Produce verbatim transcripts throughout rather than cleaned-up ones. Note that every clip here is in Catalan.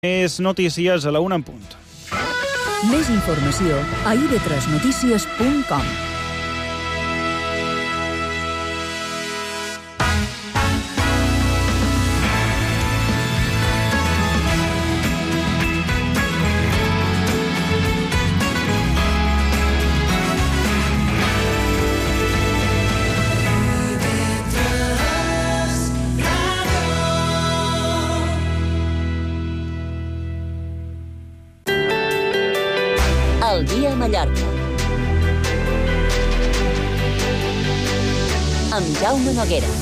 Més notícies a la una en punt. Més informació a i de tres notícies punt com. El dia a Mallorca. Amb Jaume Noguera.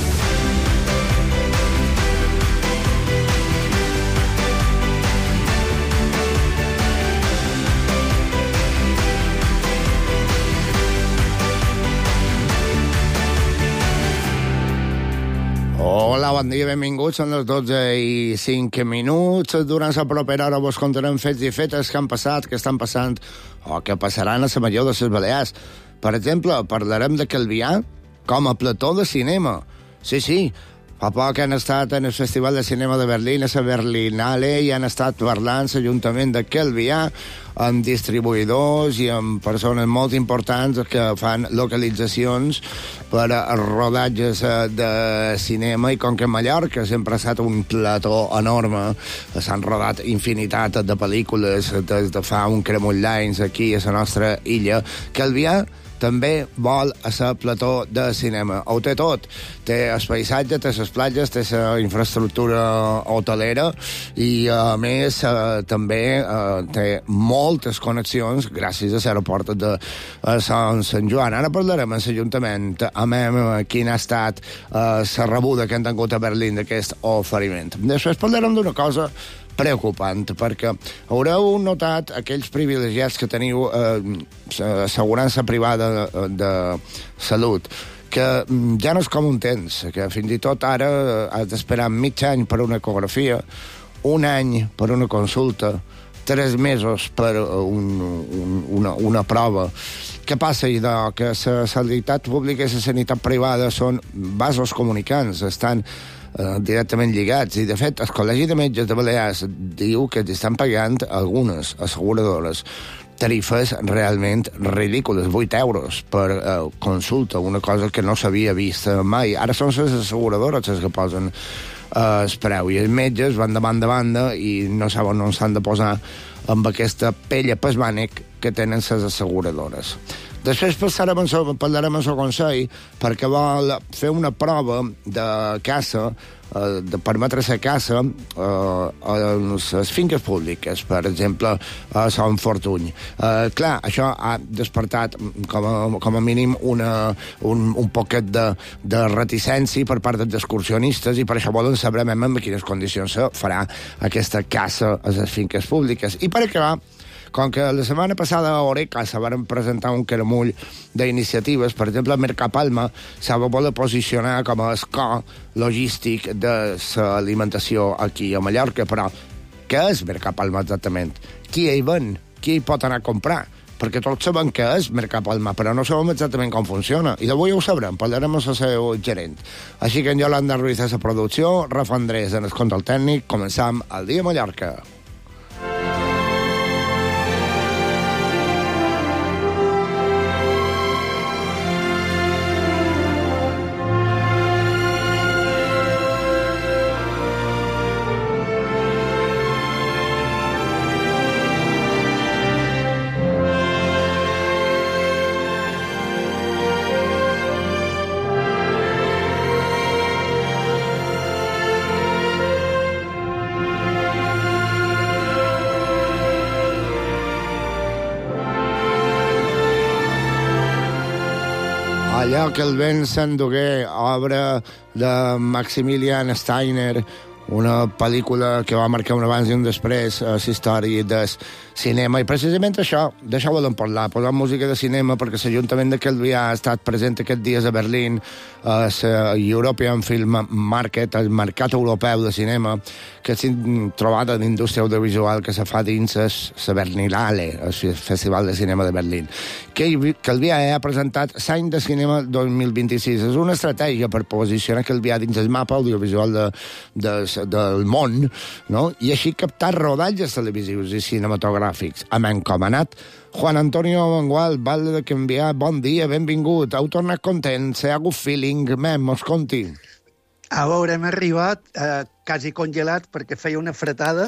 Hola, bon dia, benvinguts. Són les dotze i cinc minuts. Durant la propera hora vos contarem fets i fetes que han passat, que estan passant o que passaran a la major de les Balears. Per exemple, parlarem de Calvià com a plató de cinema. Sí, sí, fa poc han estat en el Festival de Cinema de Berlín, a la Berlinale, i han estat parlant l'Ajuntament de Calvià amb distribuïdors i amb persones molt importants que fan localitzacions per a rodatges de cinema, i com que Mallorca sempre ha estat un plató enorme, s'han rodat infinitat de pel·lícules des de fa un cremull d'anys aquí a la nostra illa. Calvià també vol a ser plató de cinema. Ho té tot. Té el paisatge, té les platges, té la infraestructura hotelera i, a més, eh, també eh, té moltes connexions gràcies a l'aeroport de Sant, Sant Joan. Ara parlarem amb l'Ajuntament amb quina ha estat eh, la rebuda que han tingut a Berlín d'aquest oferiment. Després parlarem d'una cosa preocupant, perquè haureu notat aquells privilegiats que teniu eh, assegurança privada de, de salut, que ja no és com un temps, que fins i tot ara has d'esperar mig any per una ecografia, un any per una consulta, tres mesos per un, un, una, una prova. Què passa, idò? Que la sanitat pública i la sanitat privada són vasos comunicants, estan Uh, directament lligats, i de fet el Col·legi de Metges de Balears diu que estan pagant algunes asseguradores tarifes realment ridícules, vuit euros per uh, consulta, una cosa que no s'havia vist mai. Ara són les asseguradores les que posen uh, el preu, i els metges van de banda a banda i no saben on s'han de posar amb aquesta pell pasmànec que tenen les asseguradores. Després passarem en so, parlarem amb el Consell perquè vol fer una prova de caça, eh, de permetre la caça eh, a les finques públiques, per exemple, a Sant Fortuny. Eh, clar, això ha despertat com a, com a mínim una, un, un poquet de, de reticència per part dels excursionistes, i per això volen saber en quines condicions se farà aquesta caça a les finques públiques. I per acabar, com que la setmana passada a Oreca se van presentar un caramull d'iniciatives, per exemple, Mercapalma s'ha de voler posicionar com a escó logístic de l'alimentació aquí a Mallorca, però què és Mercapalma exactament? Qui hi ven? Qui hi pot anar a comprar? Perquè tots sabem què és Mercapalma, però no sabem exactament com funciona. I d'avui ho sabrem, parlarem amb el seu gerent. Així que en Yolanda Ruiz a la producció, Rafa Andrés en el control tècnic, començam el dia a Mallorca. Allò que el vent s'endugué, obra de Maximilian Steiner, una pel·lícula que va marcar un abans i un després a la història del cinema. I precisament això, d'això volem parlar, posar música de cinema, perquè l'Ajuntament de Calvià ha estat present aquests dies a Berlín, a la European Film Market, el mercat europeu de cinema, que és trobada d'indústria audiovisual que se fa dins la Berlinale, el Festival de Cinema de Berlín. Calvià ha presentat l'any de cinema dos mil vint-i-sis. És una estratègia per posicionar Calvià dins el mapa audiovisual de, de del món, no? I així captar rodatges televisius i cinematogràfics. Hem encomanat. Juan Antonio Mangual, Valle de Canviar, bon dia, benvingut. Heu tornat content, s'ha hagut feeling, mem, mos conti. A veure, hem arribat eh, quasi congelat perquè feia una fretada,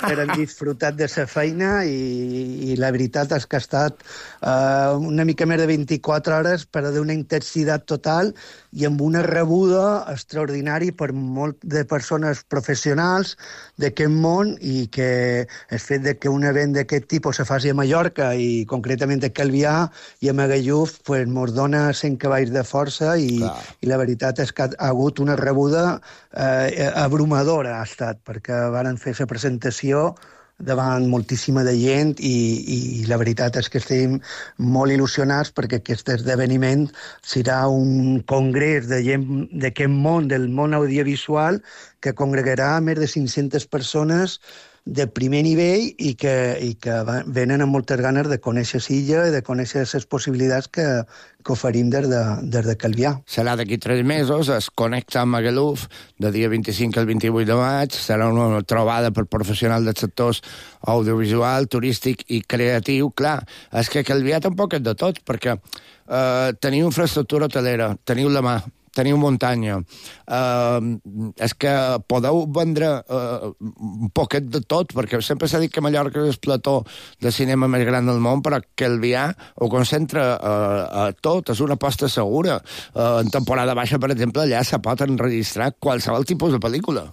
però hem disfrutat de sa feina i, i la veritat és que ha estat eh, una mica més de vint-i-quatre hores, però d'una intensitat total i amb una rebuda extraordinària per molt de persones professionals d'aquest món i que el fet de que un event d'aquest tipus se faci a Mallorca i concretament a Calvià i a Magalluf pues, mos dona cent cavalls de força i, i la veritat és que ha hagut una rebuda eh, abrumadora ha estat, perquè varen fer la presentació davant moltíssima de gent i, i la veritat és que estem molt il·lusionats perquè aquest esdeveniment serà un congrés de gent d'aquest món, del món audiovisual, que congregarà més de cinc-centes persones de primer nivell i que, i que venen amb moltes ganes de conèixer l'illa i de conèixer les possibilitats que, que oferim des de, des de Calvià. Serà d'aquí tres mesos, es connecta amb Magaluf, de dia vint-i-cinc al vint-i-vuit de maig, serà una trobada per professionals dels sectors audiovisual, turístic i creatiu. Clar, és que Calvià tampoc és de tot, perquè eh, teniu infraestructura hotelera, teniu la mà, teniu muntanya. Uh, és que podeu vendre uh, un poquet de tot, perquè sempre s'ha dit que Mallorca és el plató de cinema més gran del món, però Calvià ho concentra uh, a tot, és una aposta segura. Uh, en temporada baixa, per exemple, allà se pot enregistrar qualsevol tipus de pel·lícula.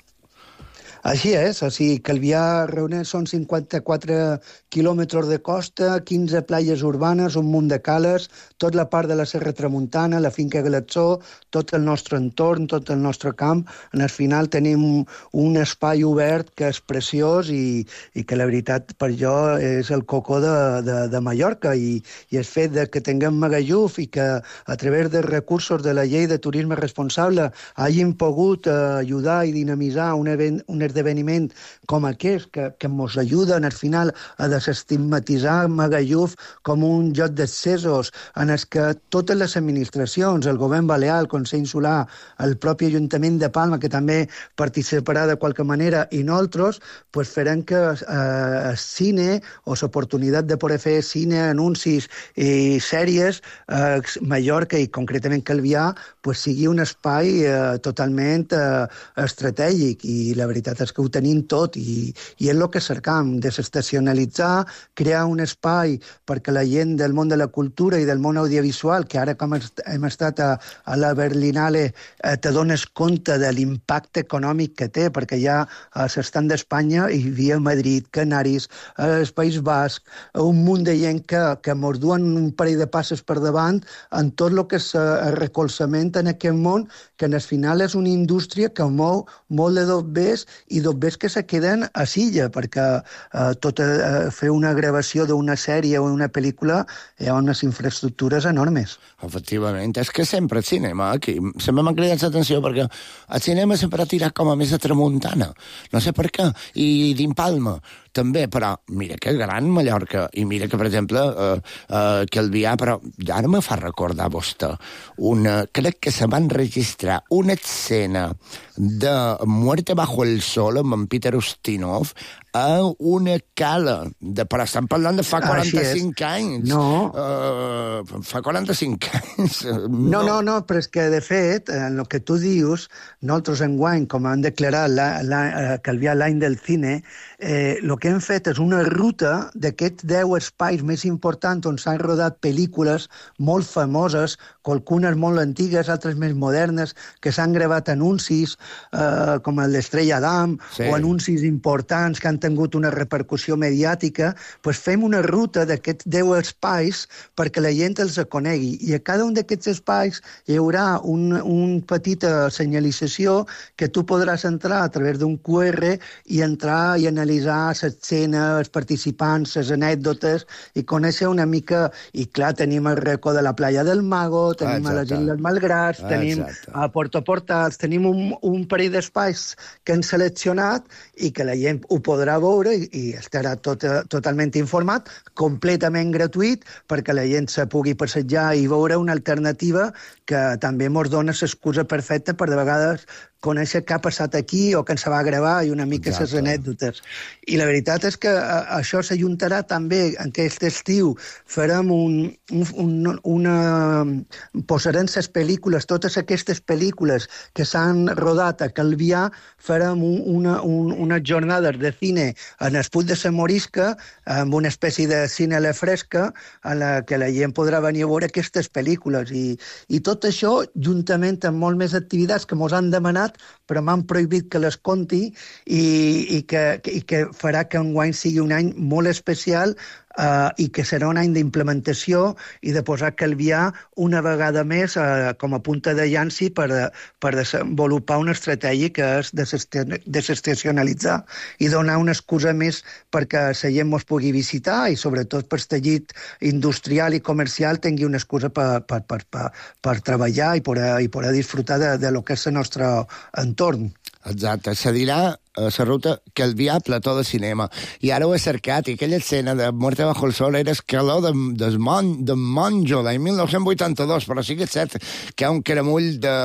Així és, o sigui, Calvià reuneix són cinquanta-quatre quilòmetres de costa, quinze platges urbanes, un munt de cales, tota la part de la Serra Tramuntana, la finca Glatzó, tot el nostre entorn, tot el nostre camp. En el final tenim un espai obert que és preciós i, i que la veritat per jo és el cocó de, de, de Mallorca i, i el fet de que tinguem Magalluf i que a través dels recursos de la llei de turisme responsable hagin pogut eh, ajudar i dinamitzar un event, un esdeveniment com aquest, que, que ens ajuda al final a desestigmatitzar Magalluf com un lloc d'accessos en els que totes les administracions, el govern balear, el Consell Insular, el propi Ajuntament de Palma, que també participarà de qualque manera, i nosaltres, pues, farem que eh, el cine o l'oportunitat de poder fer cine, anuncis i sèries, eh, Mallorca i concretament Calvià, pues, sigui un espai eh, totalment eh, estratègic i la veritat és que ho tenim tot i, i és el que cercam, desestacionalitzar, crear un espai perquè la gent del món de la cultura i del món audiovisual, que ara com hem estat a, a la Berlinale, eh, te dones compte de l'impacte econòmic que té, perquè ja a l'estat d'Espanya hi havia Madrid, Canaris, eh, el País Basc, un munt de gent que, que mos duen un parell de passes per davant en tot el que és el recolzament en aquest món, que en el final és una indústria que mou molt de dobbers i dobbers que se queden a Silla, perquè eh, tot eh, fer una gravació d'una sèrie o una pel·lícula hi ha unes infraestructures enormes. Efectivament, és que sempre el cinema, aquí, sempre m'ha cridat l'atenció, perquè el cinema sempre ha tirat com a més a tramuntana, no sé per què, i d'Impalma també, però mira que gran Mallorca, i mira que, per exemple, eh, eh, Calvià, però ara me fa recordar vostè, una, crec que se va enregistrar una escena de Muerte bajo el sol amb en Peter Ustinov a una cala, de, però estan parlant de fa quaranta-cinc anys. No. Uh, fa quaranta-cinc anys. No. no, no, no, però és que, de fet, en el que tu dius, nosaltres enguany, com hem declarat la, la, Calvià l'any del cine, eh, el que hem fet és una ruta d'aquests deu espais més importants on s'han rodat pel·lícules molt famoses, qualcunes molt antigues, altres més modernes, que s'han gravat anuncis, eh, com el d'Estrella d'Am, sí, o anuncis importants que han tingut una repercussió mediàtica, doncs fem una ruta d'aquests deu espais perquè la gent els conegui. I a cada un d'aquests espais hi haurà un, un petita senyalització que tu podràs entrar a través d'un Q R i entrar i analitzar l'escena, els participants, les anècdotes i conèixer una mica... I clar, tenim el racó de la Playa del Mago, tenim ah, a les Illes Malgrats, ah, tenim exacte. A Porto Portals, tenim un, un parell d'espais que han seleccionat i que la gent ho podrà veure i, i estarà tot, totalment informat, completament gratuït, perquè la gent se pugui passejar i veure una alternativa que també ens dona l'excusa perfecta per de vegades conèixer què ha passat aquí o què se va gravar i una mica les anècdotes. I la veritat és que això s'ajuntarà també en aquest estiu. Farem un, un, una... posarem les pel·lícules, totes aquestes pel·lícules que s'han rodat a Calvià, farem un, una, un, unes jornades de cine en el Puig de la Morisca, amb una espècie de cine a la fresca, en la que la gent podrà venir a veure aquestes pel·lícules. I, i tot això, juntament amb molt més activitats que mos han demanat, però m'han prohibit que les conti, i, i, que, i que farà que enguany sigui un any molt especial, Uh, i que serà un any d'implementació i de posar Calvià una vegada més uh, com a punta de llanci per, per desenvolupar una estratègia que és desestacionalitzar i donar una excusa més perquè la gent mos pugui visitar i sobretot per tallit industrial i comercial tingui una excusa per, per, per, per, per treballar i poder, i poder disfrutar de, de lo que és el nostre entorn. Exacte, se dirà a la ruta Calvià plató de cinema. I ara ho he cercat, i aquella escena de Muerte bajo el sol era escaló de, de, mon, de monjo l'any mil nou-cents vuitanta-dos, però sí que és cert que hi ha un caramull de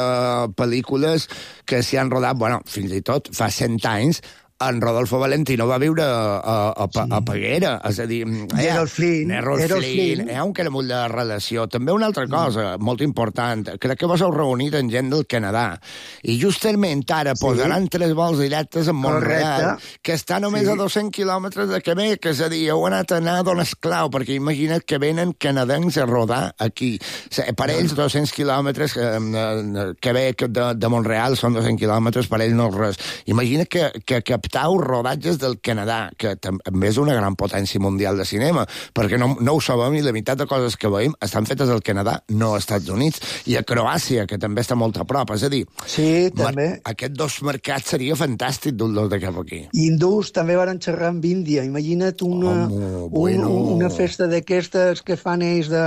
pel·lícules que s'hi han rodat, bueno, fins i tot fa cent anys. En Rodolfo Valentino va viure a, a, a, a Peguera, és a dir... Errol Flynn. Errol Flynn. Hi ha un caramull de relació. També una altra cosa mm. molt important. Crec que vos heu reunit amb gent del Canadà. I justament ara sí. posaran tres vols directes a Montreal, correcte. Que està només sí. a dos-cents quilòmetres de Quebec. És a dir, heu anat a anar d'on esclau, perquè imagina't que venen canadencs a rodar aquí. Per ells, dos-cents quilòmetres, eh, Quebec de, de Montreal són dos-cents quilòmetres, per ells no és res. Imagina't que, que, que captau rodatges del Canadà, que també és una gran potència mundial de cinema, perquè no, no ho sabem i la meitat de coses que veiem estan fetes al Canadà, no als Estats Units, i a Croàcia, que també està molt a prop. És a dir, sí, també. Aquests dos mercats seria fantàstic dur-los de cap aquí. I hindús també van xerrar amb Índia. Imagina't una, oh, bueno. un, una festa d'aquestes que fan ells de...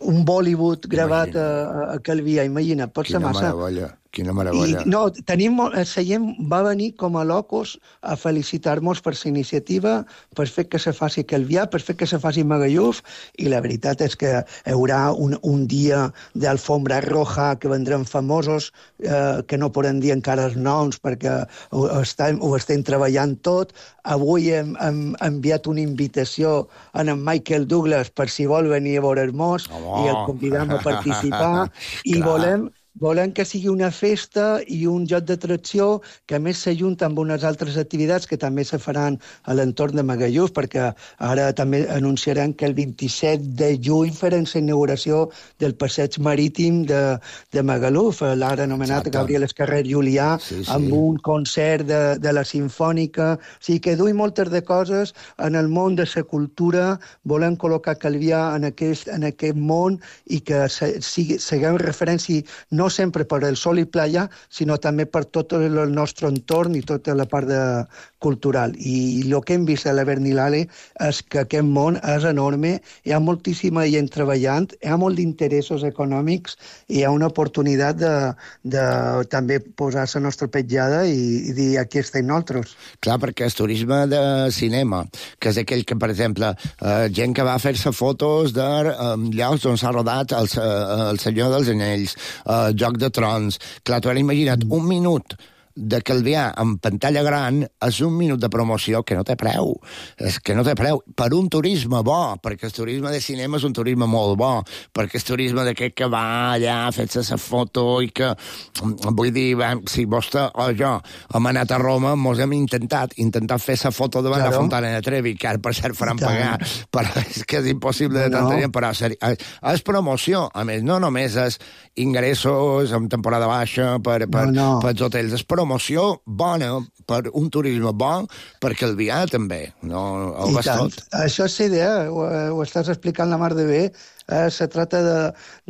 un Bollywood gravat Imagina. a, a Calvià, imagina, pot ser massa. Meravella. Quina meravella. I, no, tenim, la gent va venir com a locos a felicitar-nos per la iniciativa, per fer que se faci Calvià, per fer que se faci Magalluf, i la veritat és que hi haurà un, un dia d'alfombra roja que vendran famosos, eh, que no podem dir encara els noms perquè ho estem, ho estem treballant tot. Avui hem, hem enviat una invitació a en Michael Douglas per si vol venir a veure-nos, oh. i el convidam a participar, i volem... Volem que sigui una festa i un joc d'atracció que a més s'ajunta amb unes altres activitats que també se faran a l'entorn de Magalluf, perquè ara també anunciaran que el vint-i-set de juny farem la inauguració del passeig marítim de, de Magalluf, l'ara anomenat Exacte. Gabriel Escarrer Julià, sí, sí. amb un concert de, de la Simfònica. O sigui que duim moltes de coses en el món de la cultura, volem col·locar Calvià en aquest, en aquest món i que se, sigui, siguem referència no sempre per el sol i playa, sinó també per tot el nostre entorn i tota la part de cultural. I el que hem vist a la Bernilale és que aquest món és enorme, hi ha moltíssima gent treballant, hi ha molt d'interessos econòmics i hi ha una oportunitat de, de també posar la nostra petjada i, i dir aquí estem nosaltres. Clar, perquè el turisme de cinema, que és aquell que, per exemple, eh, gent que va fer-se fotos de eh, llocs on s'ha rodat el, el Senyor dels Anells, eh, Joc de Trons. Clar, tu ara imagina't un minut de Calvià en pantalla gran és un minut de promoció que no té preu. És que no té preu. Per un turisme bo, perquè el turisme de cinema és un turisme molt bo, perquè el turisme d'aquest que va allà a fer-se la foto i que, vull dir, si vostè o jo hem anat a Roma, mos hem intentat, intentat fer la foto davant claro. la Fontana de Trevi, que ara per cert faran pagar, però és que és impossible de tanta gent, però és promoció. A més, no només és ingressos en temporada baixa per, per, no, no. pels hotels, és promoció promoció bona per un turisme bo, per Calvià també. No, ho I tant. Tot. Això és la idea, ho, ho estàs explicant la mar de bé. Eh, se trata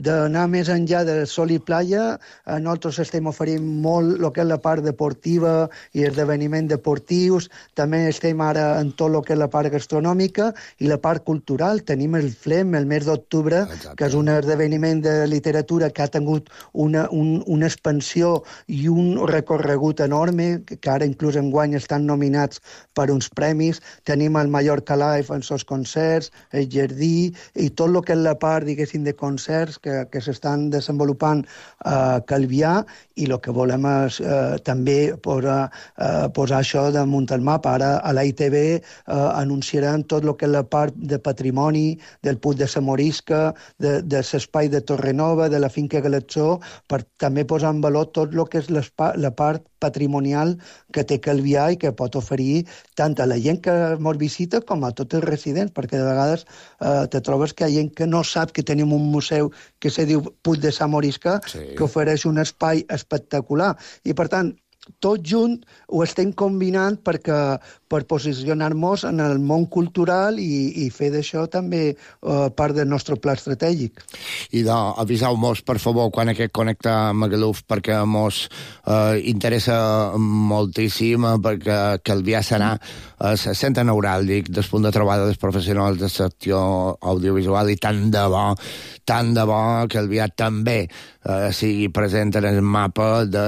d'anar més enllà de sol i playa. Eh, nosaltres estem oferint molt el que és la part deportiva i esdeveniments deportius. També estem ara en tot el que és la part gastronòmica i la part cultural. Tenim el FLEM, el mes d'octubre, que és un esdeveniment de literatura que ha tingut una, un, una expansió i un recorregut enorme, que ara inclús enguany estan nominats per uns premis. Tenim el Mallorca Live en els concerts, el Jardí i tot el que és la part part, diguéssim, de concerts que, que s'estan desenvolupant a Calvià, i el que volem és eh, també posar, eh, posar això damunt el mapa. Ara a la I T V eh, anunciaran tot el que és la part de patrimoni, del Puig de la Morisca, de, de l'espai de Torrenova, de la finca Galatzó, per també posar en valor tot el que és la part patrimonial que té Calvià i que pot oferir tant a la gent que ens visita com a tots els residents, perquè de vegades eh, te trobes que hi ha gent que no sap que tenim un museu que se diu Puig de la Morisca, sí, que ofereix un espai espectacular. I, per tant, tot junt ho estem combinant perquè, per posicionar-nos en el món cultural i, i fer d'això també uh, part del nostre pla estratègic. I d'aviseu-nos, per favor, quan aquest connecta Magaluf, perquè mos eh, interessa moltíssim, perquè Calvià serà el eh, centre neuràlgic del punt de trobada dels professionals de secció audiovisual, i tant de bo, tant de bo que Calvià també eh, sigui present en el mapa de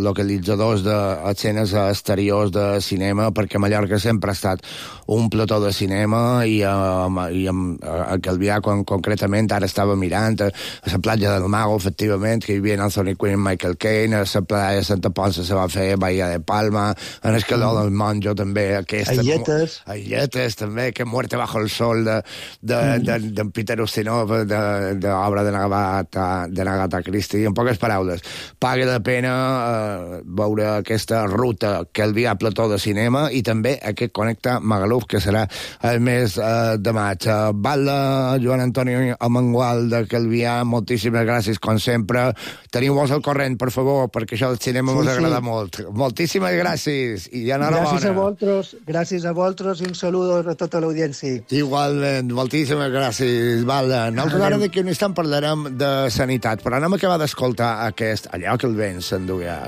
localitzadors d'escenes exteriors de cinema, perquè Mallorca sempre ha estat un plató de cinema, i, uh, i a Calvià quan, concretament ara estava mirant a, a la platja del Mago, efectivament, que hi havia Anthony Quinn i Michael Caine, a la platja de Santa Ponsa se va fer Bahia de Palma, en el Caló del Monjo també, aquesta... Ailletes. Ailletes, també, que Muerte bajo el sol de, de, mm. de, de Peter Ustinov, d'obra de, de N'Agatha de N'Agatha Christie. En poques paraules, paga la pena eh, veure aquesta ruta Calvià plató de cinema, i també aquest connecta Magaluf, que serà el mes eh, de maig. Uh, Valda, Joan Antoni Amengual de Calvià, moltíssimes gràcies, com sempre. Teniu-vos al corrent, per favor, perquè això del cinema sí, us agrada sí. molt. Moltíssimes gràcies, i enhorabona. Gràcies a vosaltres, gràcies a vosaltres, i un saludo a tota l'audiència. Igualment, moltíssimes gràcies, Valda. Nosaltres ara d'aquí un instant parlarem de sanitat, però anem a acabar d'escoltar aquest Allò que el vent s'enduia.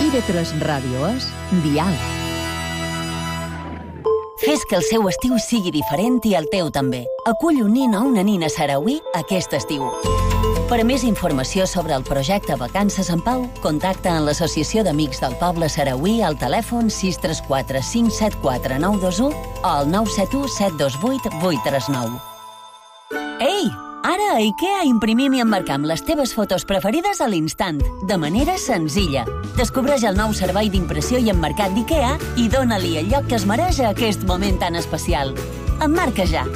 I V tres Ràdio és Dial. Fes que el seu estiu sigui diferent i el teu també. Acull un nin o una nina sarauí aquest estiu. Per a més informació sobre el projecte Vacances en Pau, contacta en l'Associació d'Amics del Poble Sarauí al telèfon sis tres quatre cinc set quatre nou dos u o al nou set u set dos vuit vuit tres nou. Ei! Ara a IKEA imprimim i emmarcam les teves fotos preferides a l'instant, de manera senzilla. Descobreix el nou servei d'impressió i emmarcat d'IKEA i dóna-li el lloc que es mereix a aquest moment tan especial. Emmarca ja!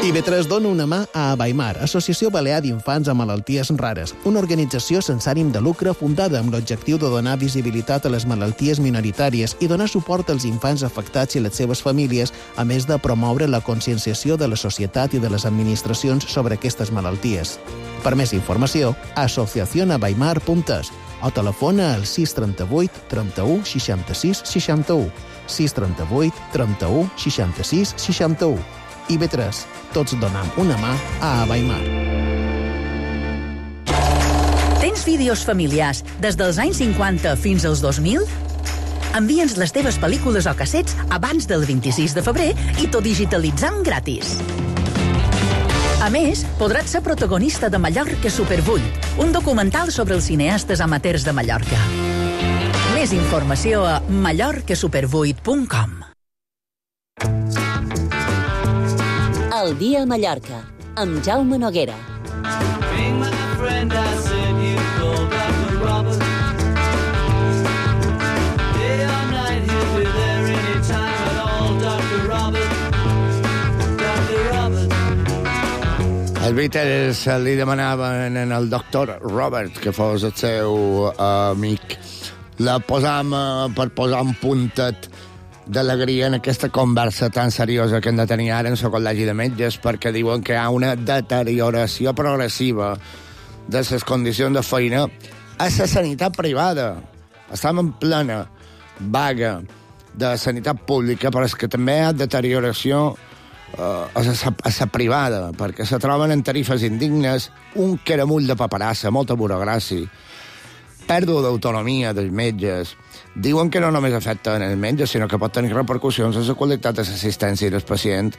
I V tres dona una mà a Abaimar, Associació Balear d'Infants amb Malalties Rares, una organització sense ànim de lucre fundada amb l'objectiu de donar visibilitat a les malalties minoritàries i donar suport als infants afectats i les seves famílies, a més de promoure la conscienciació de la societat i de les administracions sobre aquestes malalties. Per més informació, asociación abaimar punt es o telefona al sis tres vuit trenta-u seixanta-sis seixanta-u, sis tres vuit trenta-u seixanta-sis seixanta-u. I V tres, tots donam una mà a Abaimar. Tens vídeos familiars des dels anys cinquanta fins als dos mil? Envia'ns les teves pel·lícules o cassets abans del vint-i-sis de febrer i tot digitalitzant gratis. A més, podràs ser protagonista de Mallorca Super vuit, un documental sobre els cineastes amateurs de Mallorca. Més informació a mallorca super vuit punt com. El dia a Mallorca, amb Jaume Noguera. Els Beatles li demanaven al doctor Robert que fos el seu amic. La posam per posar un puntet d'alegria en aquesta conversa tan seriosa que hem de tenir ara en el col·legi de metges, perquè diuen que hi ha una deterioració progressiva de les condicions de feina a la sanitat privada. Estem en plena vaga de sanitat pública, però és que també hi ha deterioració uh, a la privada, perquè se troben en tarifes indignes, un caramull de paperassa, molta burocràcia, pèrdua d'autonomia dels metges. Diuen que no només afecta en el metge, sinó que pot tenir repercussions en la qualitat de l'assistència del pacient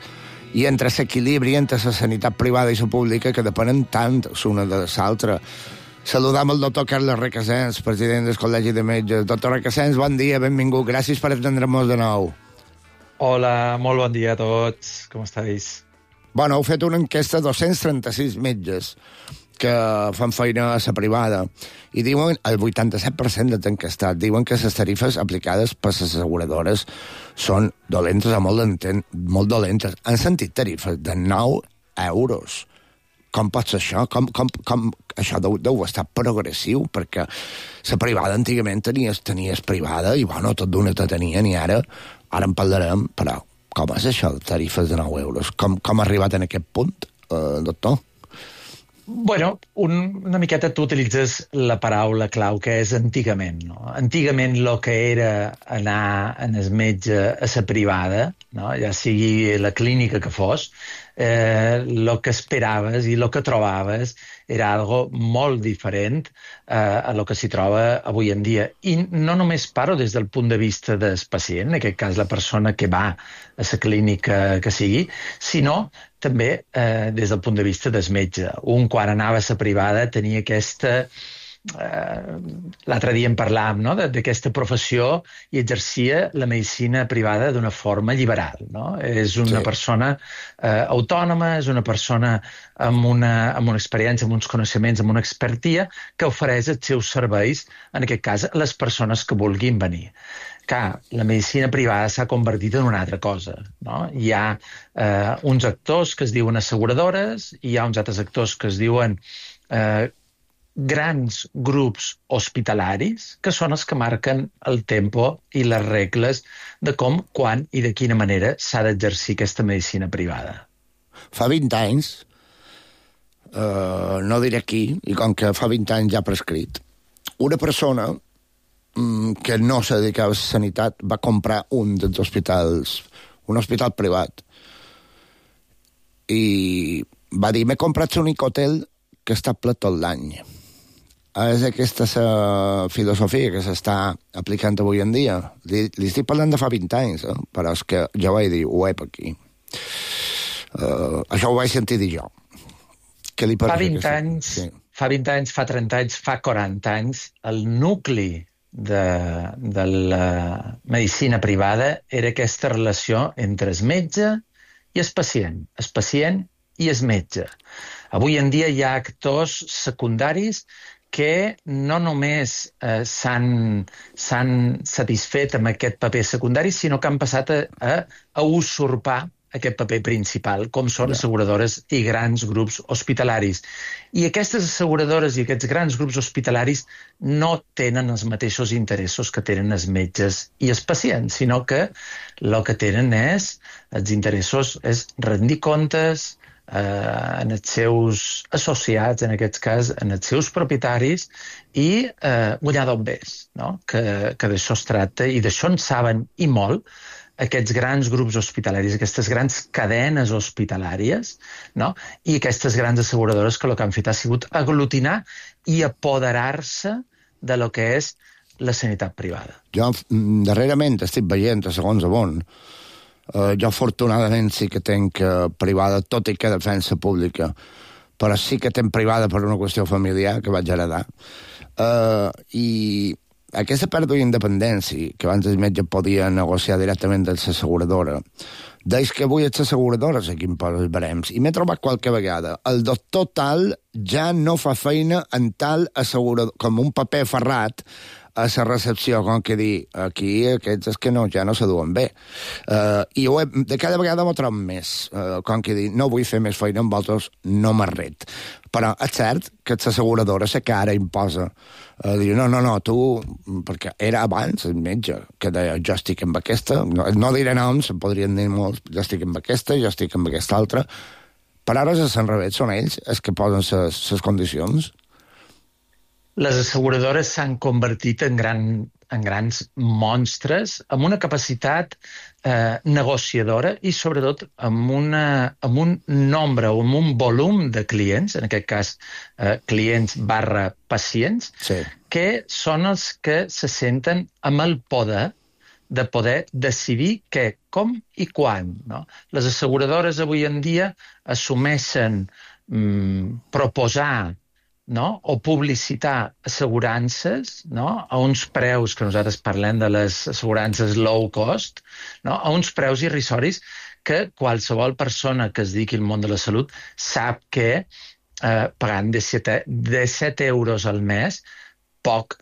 i entre l'equilibri entre la sanitat privada i la pública, que depenen tant l'una de l'altra. Saludam el doctor Carles Recasens, president del Col·legi de Metges. Doctor Recasens, bon dia, benvingut. Gràcies per atendre'ns de nou. Hola, molt bon dia a tots. Com estàs? Bueno, heu fet una enquesta de dos-cents trenta-sis metges que fan feina a la privada i diuen, el vuitanta-set per cent dels enquestats diuen que les tarifes aplicades per les asseguradores són dolentes o molt, molt dolentes. Han sentit tarifes de nou euros. Com pot ser això? Com, com, com... Això deu, deu estar progressiu, perquè la privada antigament tenies, tenies privada i, bueno, tot d'una te tenien i ara, ara en parlarem, però com és això de tarifes de nou euros? Com, com ha arribat en aquest punt, eh, doctor? Bueno, un, una miqueta tu utilitzes la paraula clau, que és antigament. No? Antigament el que era anar en el metge a la privada, no? Ja sigui la clínica que fos, el eh, que esperaves i el que trobaves era algo molt diferent eh, a lo que s'hi troba avui en dia. I no només parlo des del punt de vista del pacient, en aquest cas la persona que va a la clínica que sigui, sinó també eh, des del punt de vista del metge. Un, quan anava a la privada, tenia aquesta... Uh, l'altre dia en parlàvem, no? d'aquesta professió, i exercia la medicina privada d'una forma liberal. No? És una sí. persona uh, autònoma, és una persona amb una, amb una experiència, amb uns coneixements, amb una expertia, que ofereix els seus serveis, en aquest cas, a les persones que vulguin venir. Clar, la medicina privada s'ha convertit en una altra cosa. No? Hi ha uh, uns actors que es diuen asseguradores, i hi ha uns altres actors que es diuen uh, grans grups hospitalaris, que són els que marquen el tempo i les regles de com, quan i de quina manera s'ha d'exercir aquesta medicina privada. Fa vint anys, eh, no diré qui, i com que fa vint anys ja prescrit, una persona mm, que no se dedicava a la sanitat va comprar un dels hospitals, un hospital privat, i va dir, m'he comprat un hotel que està ple tot l'any. És aquesta la filosofia que s'està aplicant avui en dia. Li, li estic parlant de fa vint anys, eh? Però és que jo vaig dir, ho he per aquí. Uh, això ho vaig sentir dir jo. Què li fa vint anys, sí. fa vint anys, fa trenta anys, fa quaranta anys, el nucli de, de la medicina privada era aquesta relació entre el metge i el pacient, el pacient i el metge. Avui en dia hi ha actors secundaris que no només eh, s'han satisfet amb aquest paper secundari, sinó que han passat a, a, a usurpar aquest paper principal, com són asseguradores i grans grups hospitalaris. I aquestes asseguradores i aquests grans grups hospitalaris no tenen els mateixos interessos que tenen els metges i els pacients, sinó que el que tenen és, els interessos és rendir comptes, Eh, en els seus associats, en aquest cas, en els seus propietaris, i eh, guanyar d'on ves, no? que, que d'això es tracta, i d'això en saben i molt aquests grans grups hospitalaris, aquestes grans cadenes hospitalàries, no? I aquestes grans asseguradores que el que han fet ha sigut aglutinar i apoderar-se de lo que és la sanitat privada. Jo darrerament estic veient, a segons a bon, Uh, jo afortunadament sí que tenc uh, privada, tot i que defensa pública, però sí que tenc privada per una qüestió familiar que vaig heredar. Uh, I aquesta pèrdua d'independència, que abans el metge podia negociar directament amb l'asseguradora, deix que avui és l'asseguradora la que imposa els barems. I m'he trobat qualque vegada. El doctor tal ja no fa feina en tal assegurador, com un paper ferrat, a la recepció, com que dir, aquí aquests és que no, ja no se duen bé. Uh, I ho he, de cada vegada m'ho trobo més, uh, com que dir, no vull fer més feina amb vosaltres, no m'arret. Però és cert que l'asseguradora la que ara imposa. Uh, dir, no, no, no, tu... Perquè era abans el metge, que deia, jo estic amb aquesta, no, no diré noms, se'n podrien dir molts, jo estic amb aquesta, jo estic amb aquesta altra, però ara s'han rebet, són ells els que posen les condicions. Les asseguradores s'han convertit en gran en grans monstres, amb una capacitat eh, negociadora i, sobretot, amb, una, amb un nombre o amb un volum de clients, en aquest cas eh, clients barra pacients, sí. que són els que se senten amb el poder de poder decidir què, com i quan. No? Les asseguradores avui en dia assumeixen mm, proposar, no? o publicitar assegurances, no? a uns preus, que nosaltres parlem de les assegurances low cost, no? a uns preus irrisoris que qualsevol persona que es dediqui al món de la salut sap que eh, pagant de set euros al mes poc,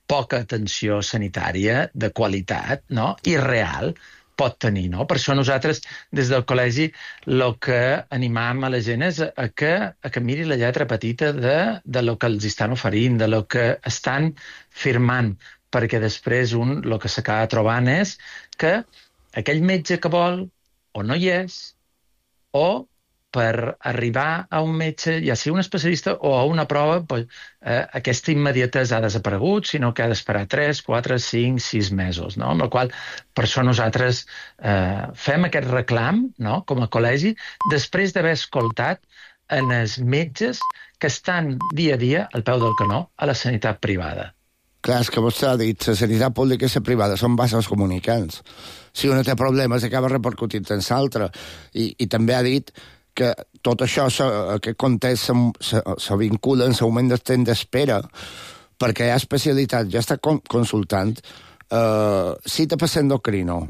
poca atenció sanitària de qualitat, no? i real pot tenir. No? Per això nosaltres, des del col·legi, el que animam a la gent és a que, a que miri la lletra petita de, de lo que els estan oferint, de lo que estan firmant, perquè després un el que s'acaba trobant és que aquell metge que vol o no hi és, o per arribar a un metge, ja sigui un especialista o a una prova, pues, eh, aquesta immediatesa ha desaparegut, sinó que ha d'esperar tres, quatre, cinc, sis mesos. No? Amb la qual per això nosaltres eh, fem aquest reclam, no? com a col·legi, després d'haver escoltat en els metges que estan dia a dia al peu del canó a la sanitat privada. Clar, és que vostè ha dit, la sanitat pública i la privada són vasos comunicants. Si un té problemes, acaba repercutint en l'altre. I, I també ha dit que tot això, aquest context, se, se vincula en l'augment del temps d'espera, perquè hi ha especialitats. Ja està consultant eh, cita per l'endocrino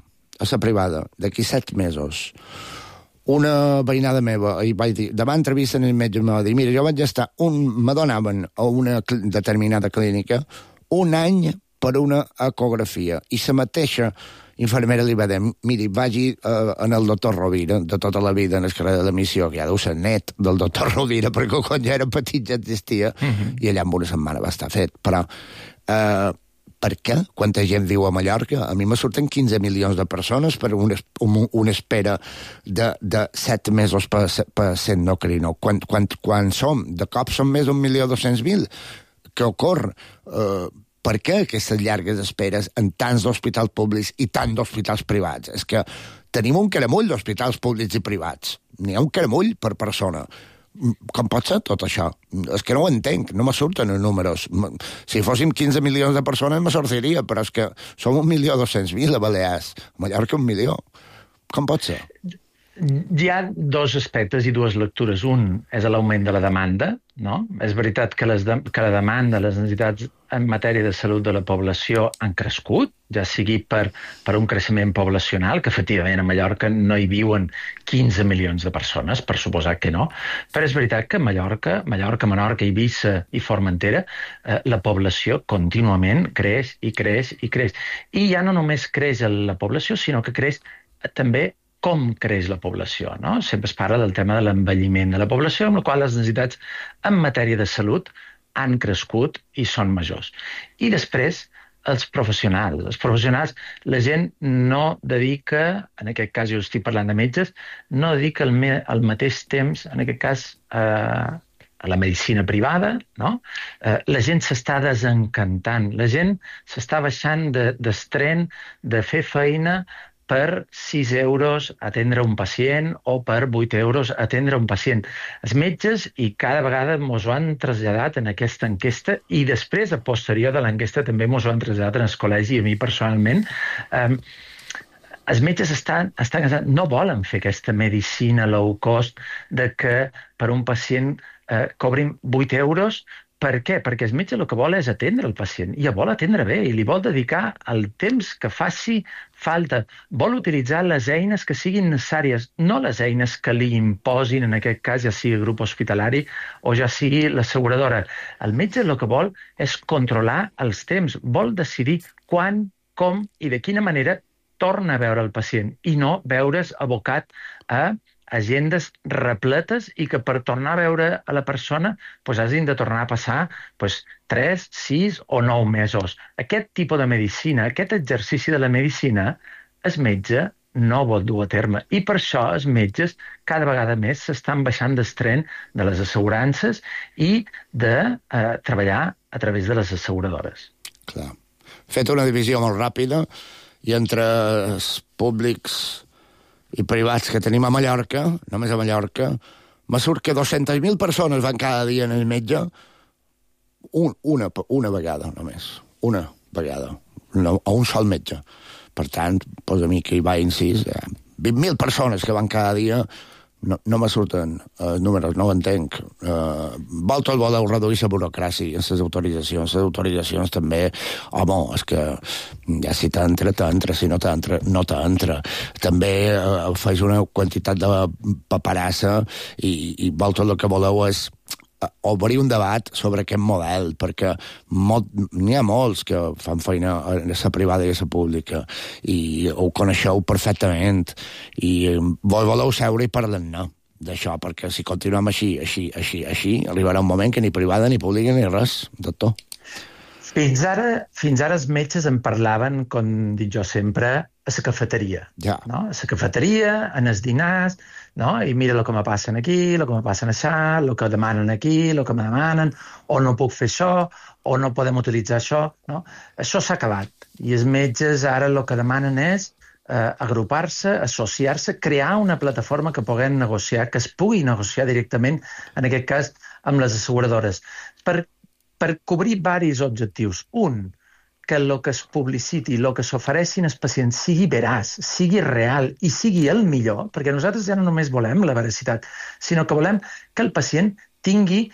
a la privada, d'aquí set mesos. Una veïnada meva, i vaig dir, demà entrevista en el metge, em va dir, mira, jo vaig estar, un, me donaven a una determinada clínica un any per una ecografia, i la mateixa infermera li va dir, miri, vagi uh, en el doctor Rovira, de tota la vida, en el carrer de la missió, que ja deu ser net del doctor Rovira, perquè quan ja era petit ja existia, uh-huh. i allà en una setmana va estar fet. Però, uh, per què? Quanta gent viu a Mallorca? A mi me surten quinze milions de persones per una, una espera de, de set mesos per, per ser endocrino. Quan, quan, quan som? De cop som més d'un milió dos-cents mil. Què ocorre? Uh, Per què aquestes llargues esperes en tants hospitals públics i tants hospitals privats? És que tenim un caramull d'hospitals públics i privats. N'hi ha un caramull per persona. Com pot ser tot això? És que no ho entenc, no me surten els números. Si fóssim quinze milions de persones me sortiria, però és que som un milió dos-cents mil a Balears. A Mallorca un milió. Com pot ser? Hi ha dos aspectes i dues lectures. Un és l'augment de la demanda, no? És veritat que, les de, que la demanda, les necessitats en matèria de salut de la població han crescut, ja sigui per, per un creixement poblacional, que efectivament a Mallorca no hi viuen quinze milions de persones, per suposar que no, però és veritat que a Mallorca, Mallorca, Menorca, Eivissa i Formentera, eh, la població contínuament creix i creix i creix. I ja no només creix la població, sinó que creix també com creix la població. No? Sempre es parla del tema de l'envelliment de la població, amb la qual les necessitats en matèria de salut han crescut i són majors. I després, els professionals. Els professionals, la gent no dedica, en aquest cas jo estic parlant de metges, no dedica el, me, el mateix temps, en aquest cas, eh, a la medicina privada, no? Eh, la gent s'està desencantant, la gent s'està baixant d'estren de, de fer feina per sis euros atendre un pacient o per vuit euros atendre un pacient. Els metges, i cada vegada ens ho han traslladat en aquesta enquesta, i després, a posterior de l'enquesta, també ens ho han traslladat en el col·legi, i a mi personalment, eh, els metges estan, estan, no volen fer aquesta medicina low cost de que per un pacient eh, cobrin vuit euros. Per què? Perquè el metge el que vol és atendre el pacient, i el vol atendre bé, i li vol dedicar el temps que faci falta. Vol utilitzar les eines que siguin necessàries, no les eines que li imposin, en aquest cas, ja sigui el grup hospitalari o ja sigui l'asseguradora. El metge el que vol és controlar els temps, vol decidir quan, com i de quina manera torna a veure el pacient, i no veure's abocat a agendes repletes i que per tornar a veure a la persona pues, hagin de tornar a passar pues, tres, sis o nou mesos. Aquest tipus de medicina, aquest exercici de la medicina, el metge no vol dur a terme. I per això els metges cada vegada més s'estan baixant d'estren de les assegurances i de eh, treballar a través de les asseguradores. Clar. fet una divisió molt ràpida i entre els públics i privats que tenim a Mallorca, només a Mallorca, me surt que dues-centes mil persones van cada dia en el metge un, una, una vegada només, una vegada, no, a un sol metge. Per tant, doncs a mi que hi va incís, eh, vint mil persones que van cada dia, no, no me surten eh, números, no ho entenc. Eh, Vosaltres voleu reduir la burocràcia en les autoritzacions. Les autoritzacions també, home, és que ja si t'entra, t'entra, si no t'entra, no t'entra. També eh, fes una quantitat de paperassa i, i vosaltres el que voleu és obrir un debat sobre aquest model, perquè molt, n'hi ha molts que fan feina a la privada i a la pública, i ho coneixeu perfectament, i vos voleu seure i parlar-ne d'això, perquè si continuem així, així, així, així, arribarà un moment que ni privada ni pública ni res, doctor. Fins ara, fins ara els metges en parlaven, com dic jo sempre, a la cafeteria. Ja. No? A la cafeteria, en els dinars, no? I mira el que me passen aquí, el que me passen allà, el que demanen aquí, el que me demanen, o no puc fer això, o no podem utilitzar això. No? Això s'ha acabat. I els metges ara el que demanen és eh, agrupar-se, associar-se, crear una plataforma que puguem negociar, que es pugui negociar directament, en aquest cas, amb les asseguradores. Per, per cobrir diversos objectius. Un, que el que es publiciti, el que s'ofereixin als pacients sigui veraç, sigui real i sigui el millor, perquè nosaltres ja no només volem la veracitat, sinó que volem que el pacient tingui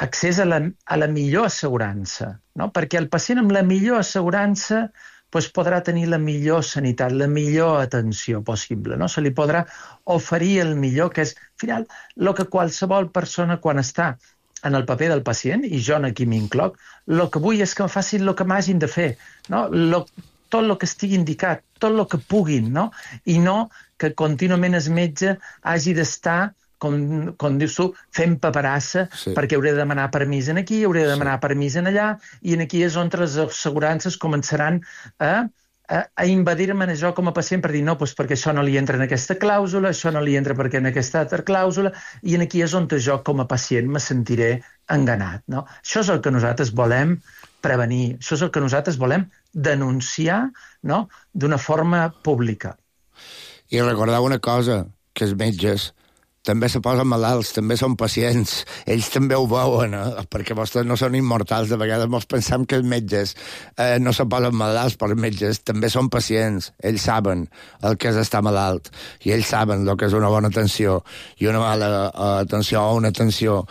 accés a la, a la millor assegurança, no? Perquè el pacient amb la millor assegurança pues, podrà tenir la millor sanitat, la millor atenció possible, no? Se li podrà oferir el millor, que és, al final, el que qualsevol persona quan està en el paper del pacient, i jo aquí m'incloc, el que vull és que em facin el que m'hagin de fer, no? Lo, tot el que estigui indicat, tot el que puguin, no? I no que contínuament el metge hagi d'estar, com, com dius tu, fent paperassa, sí. Perquè hauré de demanar permís en aquí, hauré de demanar sí. permís en allà, i en aquí és on les assegurances començaran a... a, a invadir-me en això com a pacient per dir no, doncs perquè això no li entra en aquesta clàusula, això no li entra perquè en aquesta altra clàusula, i en aquí és on jo com a pacient me sentiré enganat. No? Això és el que nosaltres volem prevenir, això és el que nosaltres volem denunciar, no? D'una forma pública. I recordar una cosa, que els metges també se posen malalts, també són pacients, ells també ho veuen, eh? Perquè vostès no són immortals, de vegades mos pensem que els metges eh, no se posen malalts, però els metges també són pacients, ells saben el que és estar malalt, i ells saben el que és una bona atenció, i una mala uh, atenció o una atenció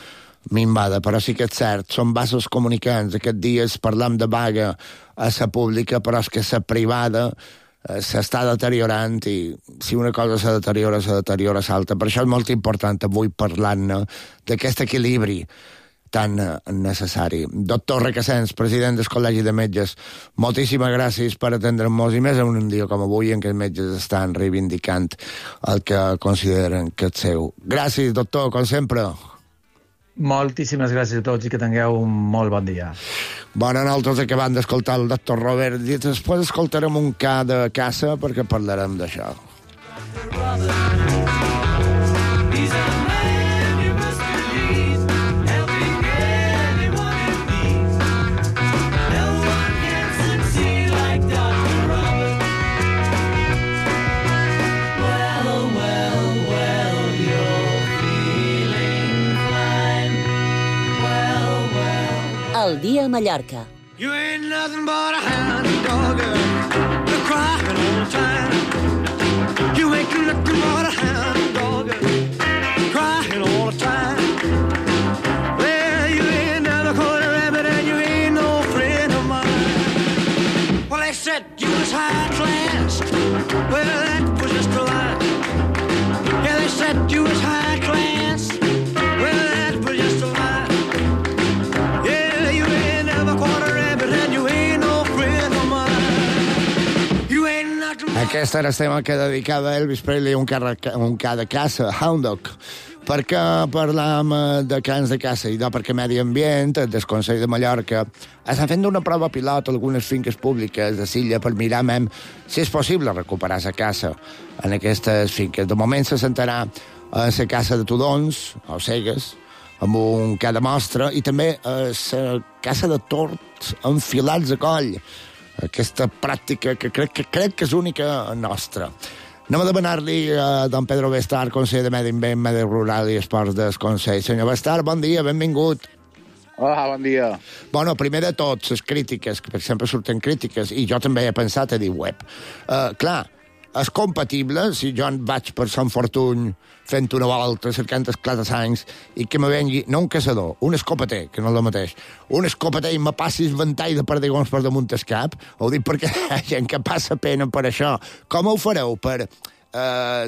minvada, però sí que és cert, són vasos comunicants, aquests dies parlam de vaga a la pública, però és que la privada s'està deteriorant, i si una cosa se deteriora, se deteriora l'altra. Per això és molt important avui parlar-ne d'aquest equilibri tan necessari. Doctor Requesens, president del Col·legi de Metges, moltíssimes gràcies per atendre'ns, i més en un dia com avui en què els metges estan reivindicant el que consideren que és seu. Gràcies, doctor, com sempre. Moltíssimes gràcies a tots i que tingueu un molt bon dia. Bona, nosaltres acabant d'escoltar el doctor Robert i després escoltarem un ca de caça perquè parlarem d'això. El dia a Mallorca. You ain't nothing but a hound dog, you're crying all the time. You ain't nothing but a hound dog, crying all the time. Well, you ain't never caught a rabbit and you ain't no friend of mine. Well, they said you was high class. Well, that was just a lie. Yeah, they said you was high class. Well, that was just a lie. Aquesta era el tema que dedicava a Elvis Presley, un, carre, un ca de caça, Hound Dog. Perquè parlàvem de cans de caça i no perquè Medi Ambient, del Consell de Mallorca, estan fent una prova pilot a algunes finques públiques de Silla per mirar mem si és possible recuperar la caça en aquestes finques. De moment se sentarà a la caça de tudons o cegues, amb un ca de mostra, i també a la caça de torts enfilats a coll. aquesta pràctica que crec que, crec que és única nostra. Anem a demanar-li a don Pedro Bestar, conseller de Medi Ambient, Medi Rural i Esports del Consell. Senyor Bestar, bon dia, benvingut. Hola, bon dia. Bueno, primer de tot, les crítiques, que per sempre surten crítiques, i jo també he pensat a dir web. Uh, clar, és compatible si jo vaig per Sant Fortuny fent una volta, cercant esclatassanys, i que me vengui, no un caçador, un escopeter, que no és el mateix, un escopeter i me passi el ventall de perdigons per damunt el cap, ho dic perquè hi ha gent que passa pena per això. Com ho fareu per eh,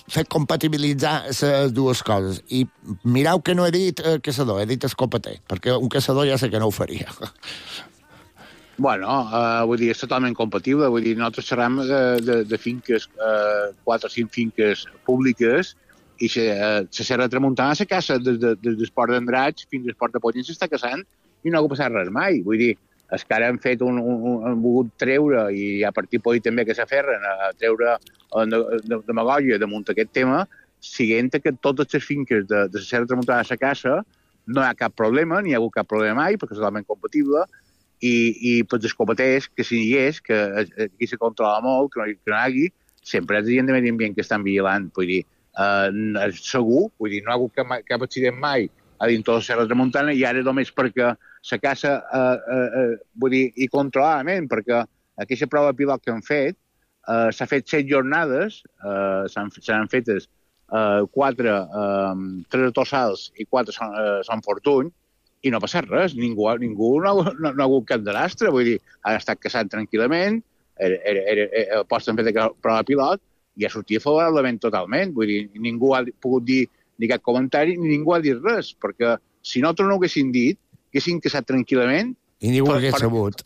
fer compatibilitzar les dues coses? I mireu que no he dit eh, caçador, he dit escopeter, perquè un caçador ja sé que no ho faria. Bueno, uh, vull dir, és totalment compatible. Vull dir, nosaltres xerram de, de, de finques, uh, quatre o cinc finques públiques, i la uh, Serra de Tramuntana se caça des, de, des del port d'Andratx fins al port de Pollins, s'està caçant i no ha passat res mai. Vull dir, és que ara han fet un, un, un, han volgut treure, i a partir d'avui també que s'aferren a treure demagogia damunt aquest tema, siguent que totes les finques de, de la Serra de Tramuntana se caça, no hi ha cap problema, ni hi ha hagut cap problema mai, perquè és totalment compatible. I, i pels escopeters, que si hi és, que aquí se controla molt, que no, que no hi hagi, sempre és gent de medi ambient que estan vigilant. Vull dir, eh, segur, vull dir, no hi ha hagut cap, cap accident mai a dins de la Serra de Tramuntana, i ara només perquè se caça, eh, eh, vull dir, i controladament, perquè aquesta prova pilot que han fet, eh, s'ha fet set jornades, eh, s'han fetes eh, quatre, eh, tres a Tossals i quatre a eh, Sant Fortuny, i no ha passat res, ningú, ningú no, ha, no, no ha hagut cap de rastre, vull dir, han estat caçant tranquil·lament, era, era, era, era, posten fet aquesta prova pilot, i ha sortit favorablement totalment, vull dir, ningú ha pogut dir ni cap comentari, ni ningú ha dit res, perquè si nosaltres no ho haguessin dit, haguessin caçat tranquil·lament, i ningú ho hagués sabut.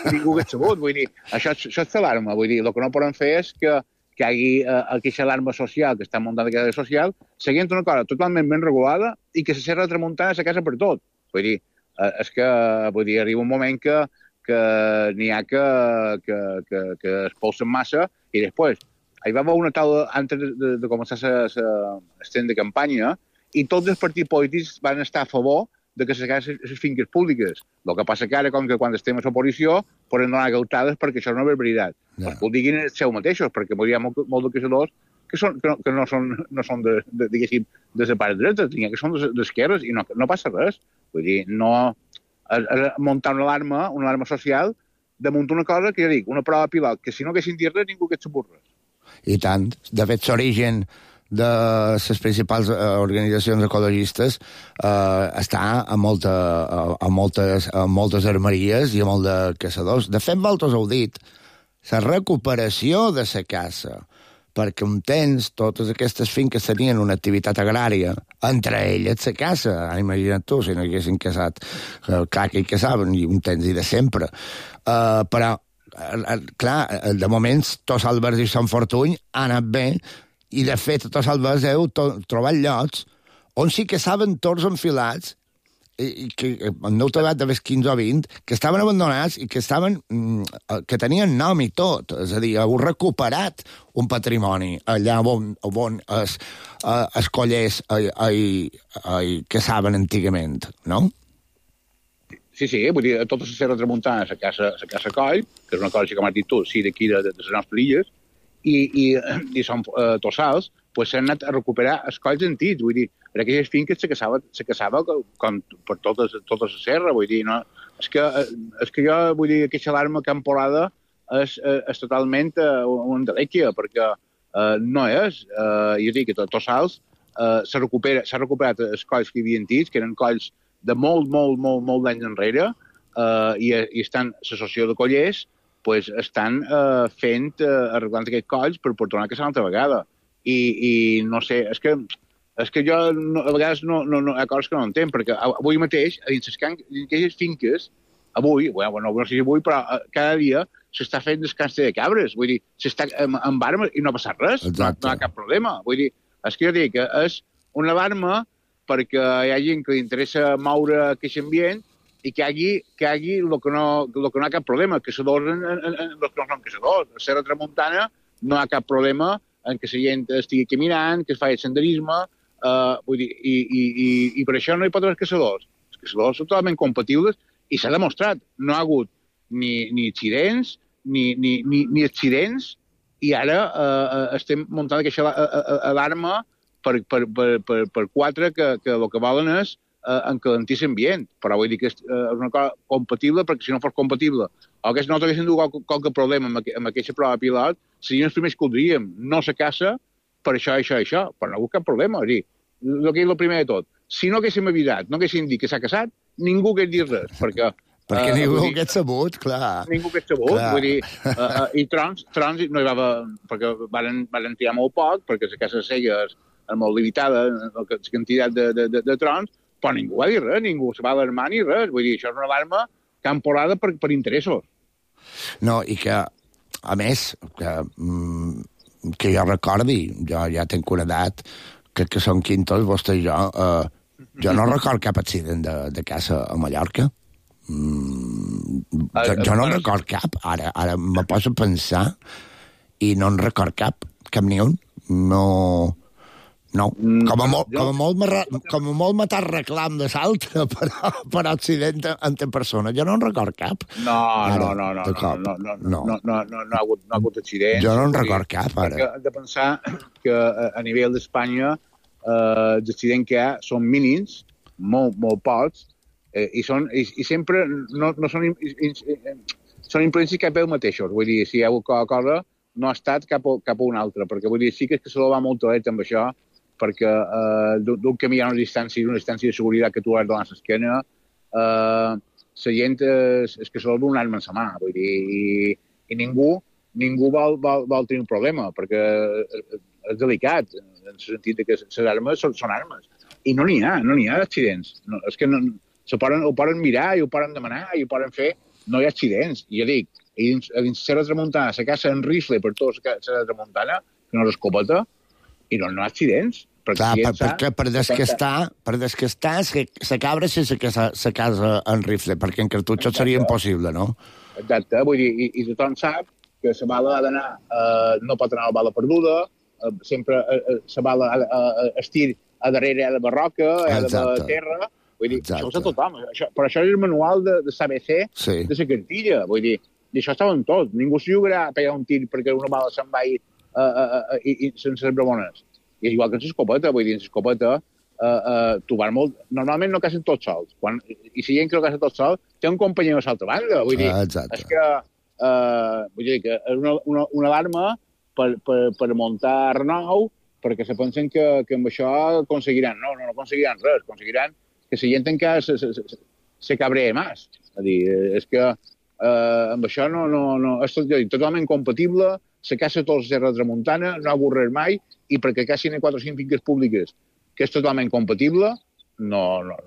Ningú ho hagués sabut, vull dir, això, això és l'alarma, vull dir, el que no poden fer és que, que hi hagi eh, aquesta alarma social, que està muntant aquesta social, seguint una cosa totalment ben regulada, i que la Serra de Tramuntana se casa per tot. Vull dir, és que vull dir, arriba un moment que, que n'hi ha que, que, que, que es polsen massa, i després hi va haver una taula antes de, de, de començar l'estent de campanya, i tots els partits polítics van estar a favor de que s'acabessin les finques públiques. El que passa que ara, com que quan estem a l'oposició, poden donar gautades perquè això no és veritat. Yeah. Ho diguin els seus mateixos, perquè hi ha molt, molt de caçadors que, són, que, no, que no són, no són de, de, diguéssim, de la part dreta, que són d'esquerres, i no, no passa res. Vull dir, no... És, és muntar una alarma, una alarma social, damunt una cosa que, ja dic, una prova pilot, que si no haguessin dit res, ningú hagués sabut res. I tant. De fet, l'origen de les principals uh, organitzacions ecologistes uh, està a, molta, a, a, moltes, a moltes armeries i a molt de caçadors. De fet, vosaltres heu dit, la recuperació de la caça, perquè un temps totes aquestes finques tenien una activitat agrària, entre elles la caça. Imagina't tu, si no haguessin caçat, uh, clar que hi caçaven, i un temps i de sempre. Uh, però, uh, clar, de moment, Tossal Verds i Sant Fortuny han anat bé, i de fet, a Tossal Verds heu trobat llocs on sí que saben tots enfilats, i que no heu trobat de més quinze o vint, que estaven abandonats i que estaven que tenien nom i tot. És a dir, heu recuperat un patrimoni allà on, on es, es collers que saben antigament, no? Sí, sí, vull dir, a tota la Serra Tramuntana, la casa, la casa Coll, que és una cosa, com has dit tu, sí, d'aquí, de, de les nostres illes, i, i, i són uh, tossals, pues s'han anat a recuperar els colls antics, vull dir, per aquelles finques se caçava, se caçava com per tota, tota la serra, vull dir, no? És que, és que jo, vull dir, aquesta alarma camporada és, és totalment uh, una delèquia, perquè uh, no és, uh, jo dic que tossals uh, s'ha recupera, s'ha recuperat els colls que hi havia antics, que eren colls de molt, molt, molt, molt d'anys enrere, uh, i, i estan, l'associació de collers, pues estan uh, fent, uh, arreglant aquests colls per, per tornar a caçar una altra vegada. I, i no sé, és que, és que jo no, a vegades no, no, no, hi ha coses que no entenc, perquè avui mateix, a dins aquestes finques, avui, bueno, no sé si avui, però uh, cada dia s'està fent descans de cabres, vull dir, s'està amb, amb armes i no ha passat res, no, no hi ha cap problema. Vull dir, és que jo dic que és una alarma perquè hi ha gent que li interessa moure aquest ambient i que hi hagi, que hi hagi el que no, el que no hi ha cap problema, caçadors en, en, en, en els que no són caçadors. A Serra Tramuntana no hi ha cap problema en què la gent estigui caminant, que es faci senderisme, uh, vull dir, i, i, i, i per això no hi pot haver caçadors. Els caçadors són totalment compatibles i s'ha demostrat. No ha hagut ni, ni accidents, ni, ni, ni, ni accidents, i ara eh, estem muntant aquesta alarma per, per, per, per, per quatre que, que el que volen és eh, encalentir l'ambient. Però vull dir que és eh, una cosa compatible, perquè si no fos compatible o que nosaltres haguéssim dut qualque, qualque problema amb, amb aquesta prova pilot, serien els primers que ho diríem. No se casa per això, això, això. Però no hi ha cap problema. És dir, el que és el primer de tot. Si no haguéssim avisat, no haguéssim dit que s'ha casat, ningú hagués dit res, perquè... Perquè uh, ningú ho hagués sabut, clar. Ningú hagués sabut, clar. Vull dir, uh, uh, i trons, trons no hi va haver, perquè van, van tirar molt poc, perquè la casa de celles és molt limitada, la quantitat de, de, de, de trons, però ningú va dir res, ningú se va alarmar ni res. Vull dir, això és una alarma camporada per, per interessos. No, i que, a més, que, que jo recordi, jo ja tenc una edat, que, que són quintos, vostè i jo, eh, jo no record cap accident de, de casa a Mallorca. Mm, jo, jo no en record cap. Ara, ara me poso a pensar i no en record cap, cap ni un. No... No, com a molt, com a molt, com a molt matar reclam de salt per, per accident entre persones. Jo no en record cap. No, ara, no, no, no, no, no, no, no, no, no, no, no ha hagut, no ha hagut accidents. Jo no en record cap, ara. Perquè hem de pensar que a nivell d'Espanya eh, els accidents que hi ha són mínims, molt, molt pocs, eh, i, són, i, i sempre no, no són, in, són influències cap a ells mateixos. Vull dir, si hi ha hagut cosa, no ha estat cap a, cap a un altre, perquè vull dir, sí que és que se lo va molt tolet amb això, perquè eh, d'un camí hi ha una distància, una distància de seguretat que tu has de donar a l'esquena, eh, la gent és, és que se l'ha d'un arma en la mà, vull dir, i, i ningú, ningú vol, vol, vol tenir un problema, perquè és delicat, en el sentit que les armes són, són armes. I no n'hi ha, no n'hi ha accidents. No, és que no, se poden, ho poden mirar i ho poden demanar i ho poden fer, no hi ha accidents. I jo dic, a dins, a dins la Serra Tramuntana, la casa en rifle per tota la Serra Tramuntana, que no és escopeta, i no, no hi ha accidents. Clar, per, perquè per descastar, per descastar la cabra sense que se casa en rifle, perquè en cartutxo seria impossible, no? Exacte, vull dir, i, i tothom sap que la bala ha d'anar, eh, no pot anar a la bala perduda, eh, sempre eh, la bala eh, estir a darrere de la barroca, a la terra, vull dir, Exacte. Això ho sap tothom, això, però això és el manual de, de l'A B C sí. de la cartilla, vull dir, i això estava en tot, ningú s'hi jugarà a pegar un tir perquè una bala se'n va i, uh, uh, uh, i, i sense les bramones. I és igual que en l'escopeta, vull dir, en l'escopeta uh, uh, tu vas molt... Normalment no cacen tots sols. Quan, I si gent que no caça tots sols, té un companyó a l'altra banda. Vull dir, ah, és que... Uh, vull dir que és una, una, una alarma per, per, per muntar renou, perquè se pensen que, que amb això aconseguiran. No, no, no aconseguiran res. Aconseguiran que la gent encara se, se, se, se cabrea més. És dir, és que uh, amb això no, no, no, és tot, dic, totalment compatible. La casa de tota la Serra Tramuntana no ha hagut res mai, i perquè quasi hi ha quatre o cinc finques públiques que és totalment compatible, no... no.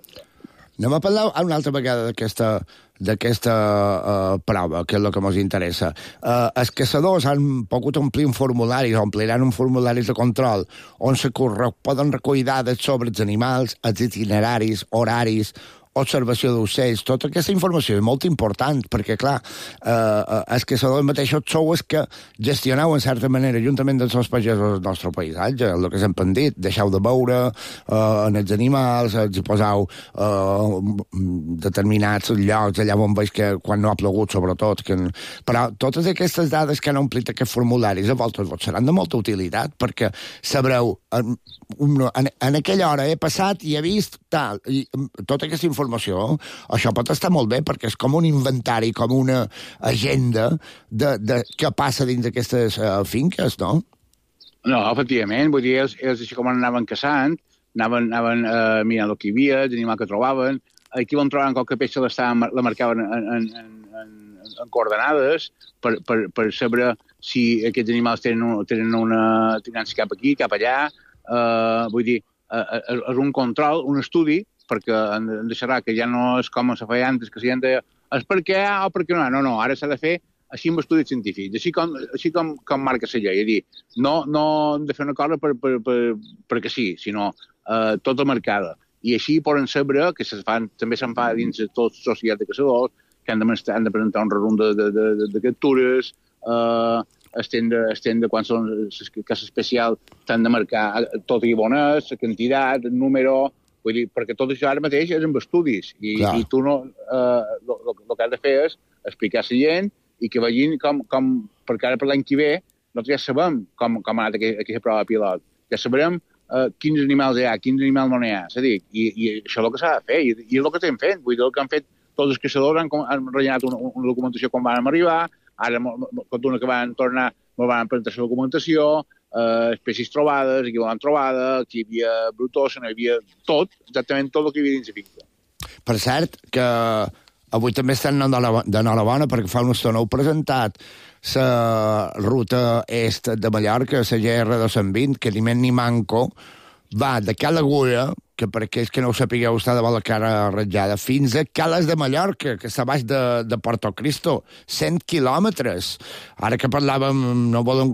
Anem a parlar una altra vegada d'aquesta d'aquesta uh, prova, que és el que ens interessa. Uh, els caçadors han pogut omplir un formulari, o ompliran un formulari de control, on se poden recollir dades sobre els animals, els itineraris, horaris, observació d'ocells, tota aquesta informació és molt important, perquè, clar, eh, els caçadors mateixos sou els que gestioneu, en certa manera, juntament amb els pagesos del nostre paisatge, el que sempre han dit, deixeu de veure eh, en els animals, els poseu eh, determinats llocs, allà on veig que quan no ha plogut, sobretot, que... però totes aquestes dades que han omplit aquests formularis a vosaltres vos seran de molta utilitat, perquè sabreu, en, en, en aquella hora he passat i he vist tal, i tota aquesta informació informació, això pot estar molt bé perquè és com un inventari, com una agenda de, de què passa dins d'aquestes uh, finques, no? No, efectivament, vull dir, ells, ells així com anaven caçant, anaven, anaven uh, mirant el que hi havia, l'animal que trobaven, aquí on trobaven qualque peça la marcaven en, en, en, en coordenades per, per, per saber si aquests animals tenen, tenen una tinença cap aquí, cap allà, uh, vull dir, uh, és un control, un estudi, perquè han de deixar que ja no és com se feia antes, que si gent deia és per què o per què no. No, no, ara s'ha de fer així amb estudis científics, així com, així com, com marca la llei. És dir, no, no hem de fer una cosa per, per, per, perquè sí, sinó eh, tota marcada. I així poden saber que se fan, també se'n fa dins de tota la societat de caçadors, que han de, han de presentar un resum de, de, de, de, de captures, eh, estem de, estem de quan són caça especial, t'han de marcar tot i on és, la quantitat, el número... Vull dir, perquè tot això ara mateix és amb estudis i, i tu no... Eh, el que has de fer és explicar a la gent i que vegin com, com perquè ara per l'any que ve nosaltres ja sabem com, com ha anat aquesta, aquesta prova pilot. Ja sabrem uh, quins animals hi ha, quins animals no n'hi ha. És a dir, i, i això és el que s'ha de fer, i, i és el que estem fent. Vull dir, el que han fet tots els caçadors, han, han rellenat una, una documentació quan van arribar, ara, quan una que van tornar, me van presentar la documentació, uh, espècies trobades, aquí ho van trobada, aquí hi havia brutosa, no hi havia tot, exactament tot el que hi havia dins la finca. Per cert, que avui també estan d'enhorabona perquè fa una estona heu presentat la ruta est de Mallorca, la G R dos cents vint, que ni més ni manco, va de Cala Agulla, que per aquells que no ho sapigueu està davant la cara ratjada, fins a Cales de Mallorca, que està baix de, de Porto Cristo, cent quilòmetres. Ara que parlàvem, no volem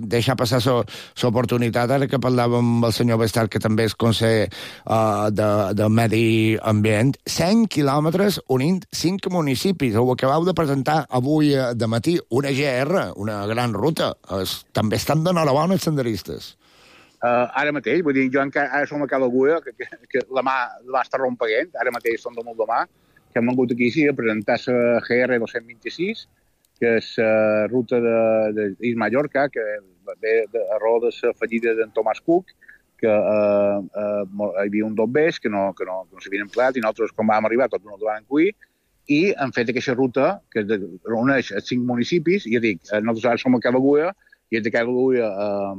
deixar passar l'oportunitat, ara que parlàvem amb el senyor Bestart, que també és conseller uh, de, de Medi Ambient, cent quilòmetres unint cinc municipis. Ho acabeu de presentar avui de matí, una G R, una gran ruta. Es, també estan d'enhorabona els senderistes. Uh, ara mateix, vull dir, jo encara, ara som a Cala Agulla, que, que, que la mà, la mà està rompeguent, ara mateix som de molt de mà, que hem vingut aquí sí, a presentar la G R dos cents vint-i-sis, que és la ruta d'Is Mallorca, que ve de, a raó de la fallida d'en Tomàs Cook, que uh, uh, hi havia un dobbers que no, que no, que no s'havien empleat, i nosaltres, quan vam arribar, tot no el van cuir, i han fet aquesta ruta, que reuneix cinc municipis, i ja dic, nosaltres ara som a Cala Agulla, i de Cala Agulla uh,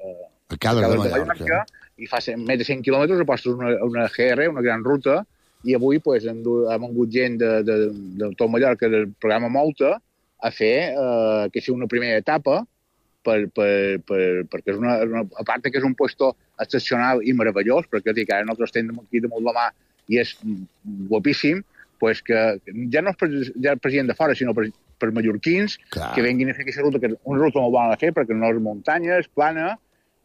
uh, a Cales de Mallorca, i fa més de cent quilòmetres apostes una, una G R, una gran ruta, i avui pues, hem, hem vingut gent de, de, de tot Mallorca, del programa Molta, a fer eh, que sigui una primera etapa, per, per, per, perquè és una, una, a part que és un puesto excepcional i meravellós, perquè dic, ara nosaltres estem aquí de molt de mà i és guapíssim, pues que ja no és per, ja el president de fora, sinó per, per mallorquins, clar, que venguin a fer aquesta ruta, que és una ruta molt bona de fer, perquè no és muntanya, és plana,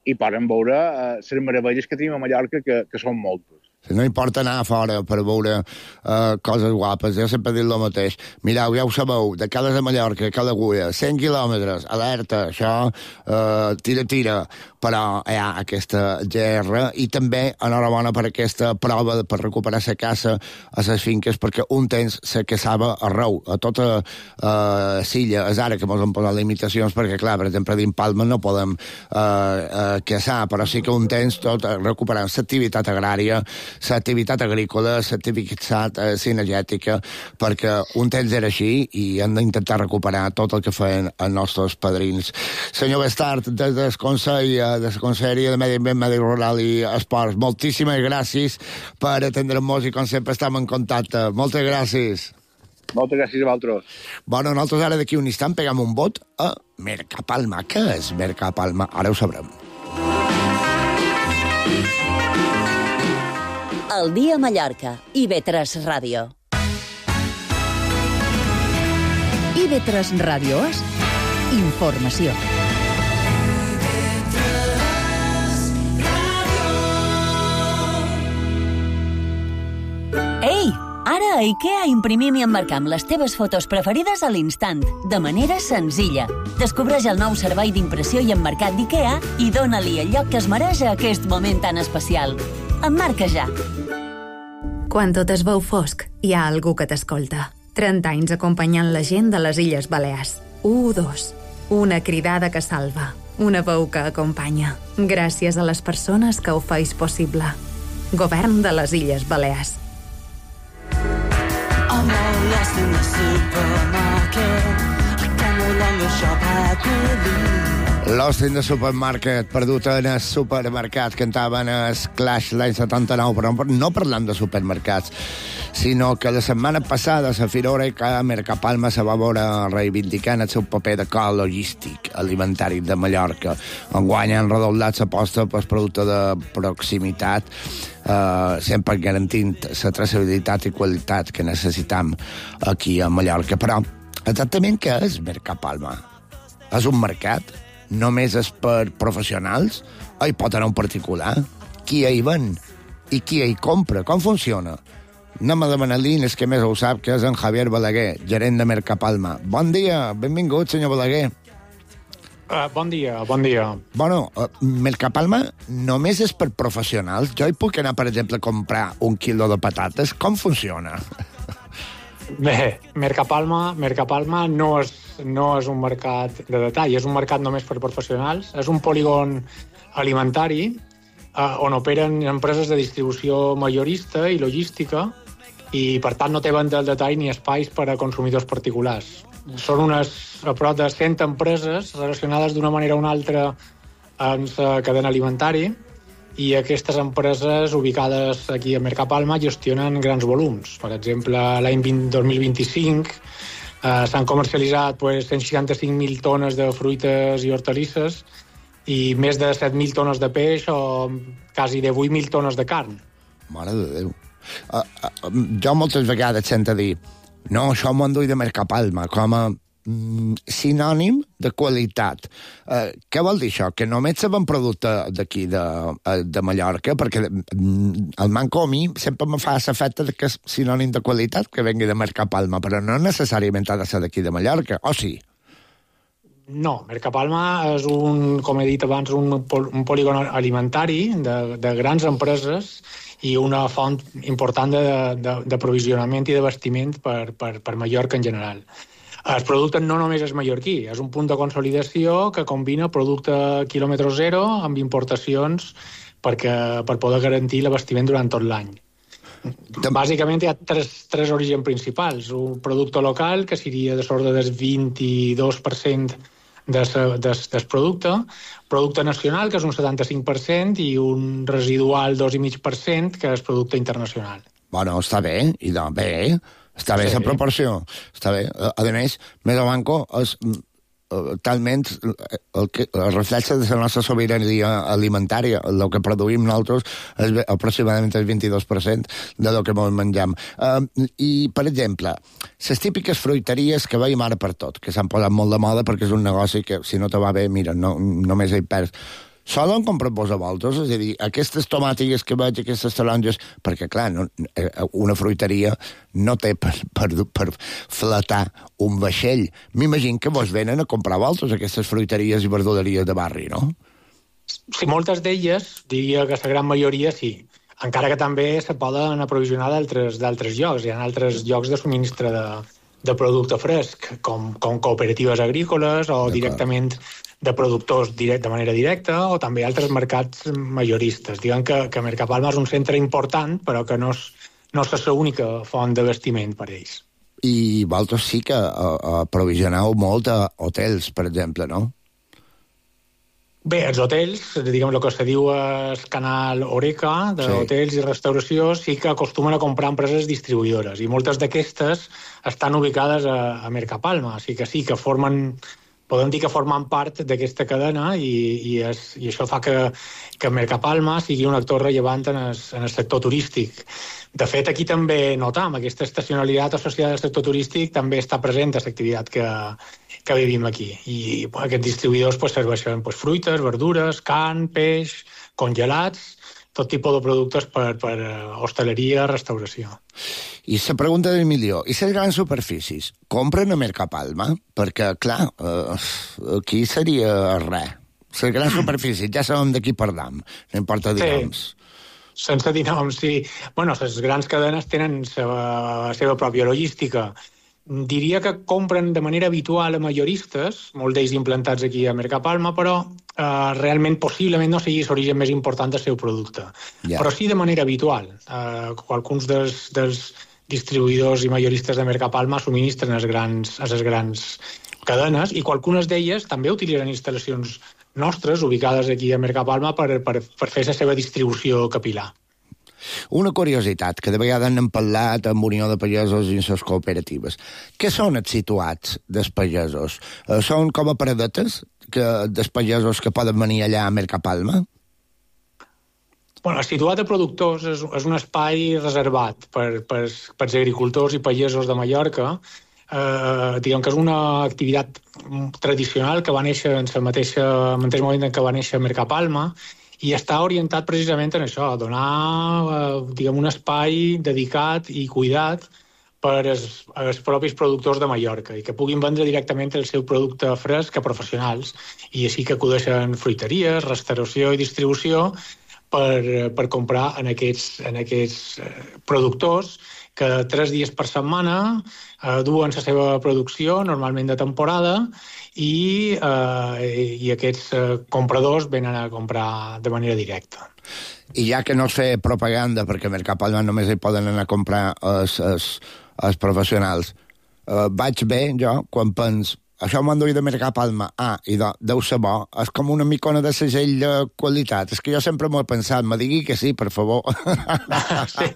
i poden veure eh, les meravelles que tenim a Mallorca, que, que són moltes. No importa anar a fora per veure uh, coses guapes, jo sempre he dit el mateix. Mireu, ja ho sabeu, de Cales de Mallorca a Cala Agulla, cent quilòmetres, alerta, això, uh, tira, tira, però hi ha aquesta G R, i també enhorabona per aquesta prova per recuperar la caça a les finques, perquè un temps se caçava arreu, a tota uh, Silla, és ara que ens han posat limitacions, perquè, clar, per exemple, dins Palma no podem uh, uh, caçar, però sí que un temps tot recuperant l'activitat agrària, l'activitat agrícola, l'activitat eh, cinegètica, perquè un temps era així i hem d'intentar recuperar tot el que feien els nostres padrins. Senyor Bestart, des del Consell, de la Conselleria de Medi Ambient, Medi Rural i Esports, moltíssimes gràcies per atendre'ns i com sempre estem en contacte. Moltes gràcies. Moltes gràcies a vosaltres. Bueno, nosaltres ara d'aquí un instant pegam un vot a Mercapalma. Què és Mercapalma? Ara ho sabrem. El dia a Mallorca, I V tres Ràdio. I V tres Ràdio és informació. Ei! Ara a IKEA imprimim i emmarcam les teves fotos preferides a l'instant, de manera senzilla. Descobreix el nou servei d'impressió i emmarcat d'IKEA i dóna-li el lloc que es mereix a aquest moment tan especial. Emmarca ja! Quan tot es veu fosc, hi ha algú que t'escolta. trenta anys acompanyant la gent de les Illes Balears. U dos. Una cridada que salva. Una veu que acompanya. Gràcies a les persones que ho feis possible. Govern de les Illes Balears. I'm all lost in the supermarket. I can no longer shop happily. Lost in the Supermarket, perdut en el supermercat, cantaven el Clash l'any setanta-nou, però no parlant de supermercats, sinó que la setmana passada la Filòrica Mercapalma se va veure reivindicant el seu paper de col logístic alimentari de Mallorca. Enguany han redoblat l'aposta pel producte de proximitat, eh, sempre garantint la traçabilitat i qualitat que necessitam aquí a Mallorca. Però exactament què és Mercapalma? És un mercat? Només és per professionals? O hi pot anar un particular? Qui hi ven? I qui hi compra? Com funciona? Anem a demanar-li, és que més ho sap, que és en Javier Balaguer, gerent de Mercapalma. Bon dia, benvingut, senyor Balaguer. Uh, bon dia, bon dia. Bueno, uh, Mercapalma només és per professionals? Jo hi puc anar, per exemple, a comprar un quilo de patates? Com funciona? Bé, Mercapalma, Mercapalma no és, no és un mercat de detall, és un mercat només per professionals, és un polígon alimentari eh, on operen empreses de distribució majorista i logística i, per tant, no té venda al detall ni espais per a consumidors particulars. Són unes a prop de cent empreses relacionades d'una manera o una altra en la cadena alimentari i aquestes empreses ubicades aquí a Mercapalma gestionen grans volums. Per exemple, l'any dos mil vint-i-cinc eh, s'han comercialitzat pues, cent seixanta-cinc mil tones de fruites i hortalisses i més de set mil tones de peix o quasi divuit mil tones de carn. Mare de Déu. Uh, uh, jo moltes vegades sento dir no, això m'ho enduï de Mercapalma com a mm, sinònim de qualitat. Uh, què vol dir això? Que només se ven producte d'aquí de, de Mallorca? Perquè mm, el manco a mi sempre me fa l'efecte que és sinònim de qualitat que vengui de Mercapalma, però no necessàriament ha de ser d'aquí de Mallorca, o sí? No, Mercapalma és un, com he dit abans, un, pol un polígon alimentari de, de grans empreses i una font important d'aprovisionament i de vestiment per, per, per Mallorca en general. El producte no només és mallorquí, és un punt de consolidació que combina producte quilòmetre zero amb importacions perquè, per poder garantir l'abastiment durant tot l'any. Bàsicament hi ha tres, tres orígens principals. Un producte local, que seria de l'ordre del vint-i-dos per cent del de, de producte, producte nacional, que és un setanta-cinc per cent, i un residual dos coma cinc per cent, que és producte internacional. Bueno, està bé, i doncs bé, està bé la sí. proporció, està bé. A més, Mesobanco és talment el que el reflex de la nostra sobirania alimentària, el que produïm nosaltres és aproximadament el vint-i-dos per cent de lo que ens mengem. Uh, I, per exemple, les típiques fruiteries que veiem ara per tot, que s'han posat molt de moda perquè és un negoci que, si no te va bé, mira, no, només hi perds. Solen comprar-vos a vosaltres? És a dir, aquestes tomàtiques que veig, aquestes taronges, perquè, clar, no, una fruiteria no té per, per, per flatar un vaixell. M'imagino que vos venen a comprar a vosaltres aquestes fruiteries i verduleries de barri, no? Sí, moltes d'elles, diria que la gran majoria sí. Encara que també se poden aprovisionar d'altres llocs. Hi ha altres llocs de subministre de, de producte fresc, com, com cooperatives agrícoles o directament de productors direct, de manera directa, o també altres mercats majoristes. Diguem que, que Mercapalma és un centre important, però que no és, no és l'única font de vestiment per a ells. I vosaltres sí que aprovisioneu molt a hotels, per exemple, no? Bé, els hotels, diguem, el que se diu el canal Horeca, d'hotels sí. i restauració, sí que acostumen a comprar empreses distribuïdores, i moltes d'aquestes estan ubicades a, a Mercapalma, així que sí, que formen... Podem dir que formen part d'aquesta cadena i, i, és, i això fa que, que Mercapalma sigui un actor rellevant en el, en el sector turístic. De fet, aquí també notam aquesta estacionalitat associada al sector turístic també està present a l'activitat que, que vivim aquí. I bueno, aquests distribuïdors pues, serveixen pues, fruites, verdures, carn, peix, congelats, tot tipus de productes per, per hostaleria, restauració. I la pregunta del milió, i les grans superfícies, compren a Mercapalma? Perquè, clar, eh, aquí seria res. Les grans superfícies, ja sabem de qui parlam, no importa dir noms. Sí, sense dir noms, sí. Bueno, les grans cadenes tenen la seva pròpia logística. Diria que compren de manera habitual a majoristes, molts d'ells implantats aquí a Mercapalma, però eh, realment possiblement no sigui l'origen més important del seu producte. Yeah. Però sí de manera habitual. Eh, alguns dels, dels distribuïdors i majoristes de Mercapalma subministren a les grans, a les grans cadenes i qualcunes d'elles també utilitzen instal·lacions nostres ubicades aquí a Mercapalma per, per, per fer la seva distribució capilar. Una curiositat, que de vegades n'hem parlat amb Unió de Pagesos i les cooperatives. Què són els situats dels pagesos? Eh, són com a paradetes que, dels pagesos que poden venir allà a Mercapalma? Bueno, el situat de productors és, és un espai reservat per, per, per els agricultors i pagesos de Mallorca. Eh, diguem que és una activitat tradicional que va néixer en el mateix, mateix moment en què va néixer Mercapalma i està orientat precisament en això, a donar eh, diguem, un espai dedicat i cuidat per als, als propis productors de Mallorca i que puguin vendre directament el seu producte fresc a professionals i així que acudeixen fruiteries, restauració i distribució per, per comprar en aquests, en aquests productors que tres dies per setmana eh, duen la seva producció, normalment de temporada, i, eh, i aquests eh, compradors venen a comprar de manera directa. I ja que no es fa propaganda, perquè a Mercapalma només hi poden anar a comprar els, els, els professionals, eh, vaig bé jo quan pens això m'ho han duit de Mercapalma, ah, i de, deu ser bo, és com una micona de segell de qualitat, és que jo sempre m'ho he pensat, me digui que sí, per favor. Sí,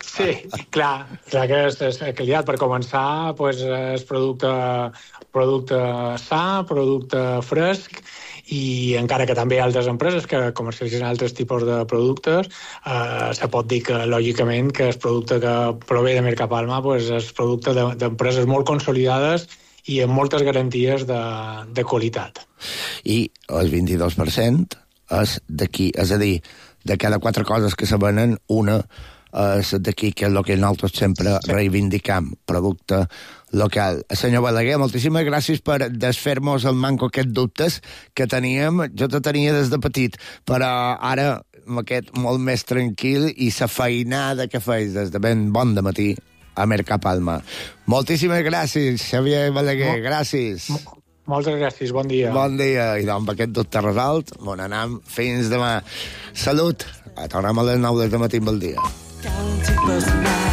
sí, clar, clar que és, és qualitat. Per començar, pues, és producte, producte sa, producte fresc, i encara que també hi ha altres empreses que comercialitzen altres tipus de productes, eh, se pot dir que, lògicament, que el producte que prové de Mercapalma pues, és producte d'empreses molt consolidades i amb moltes garanties de, de qualitat. I el vint-i-dos per cent és d'aquí, és a dir, de cada quatre coses que se venen, una és d'aquí, que és el que nosaltres sempre reivindicam, producte local. Senyor Balaguer, moltíssimes gràcies per desfer-nos el manco aquests dubtes que teníem. Jo te tenia des de petit, però ara m'aquest molt més tranquil i la feinada que feis des de ben bon de matí a Mercapalma. Moltíssimes gràcies, Xavier Balaguer, gràcies. Moltes gràcies, bon dia. Bon dia, i doncs aquest dubte resolt, bon anam fins demà. Salut, tornem a les nou del matí amb el dia.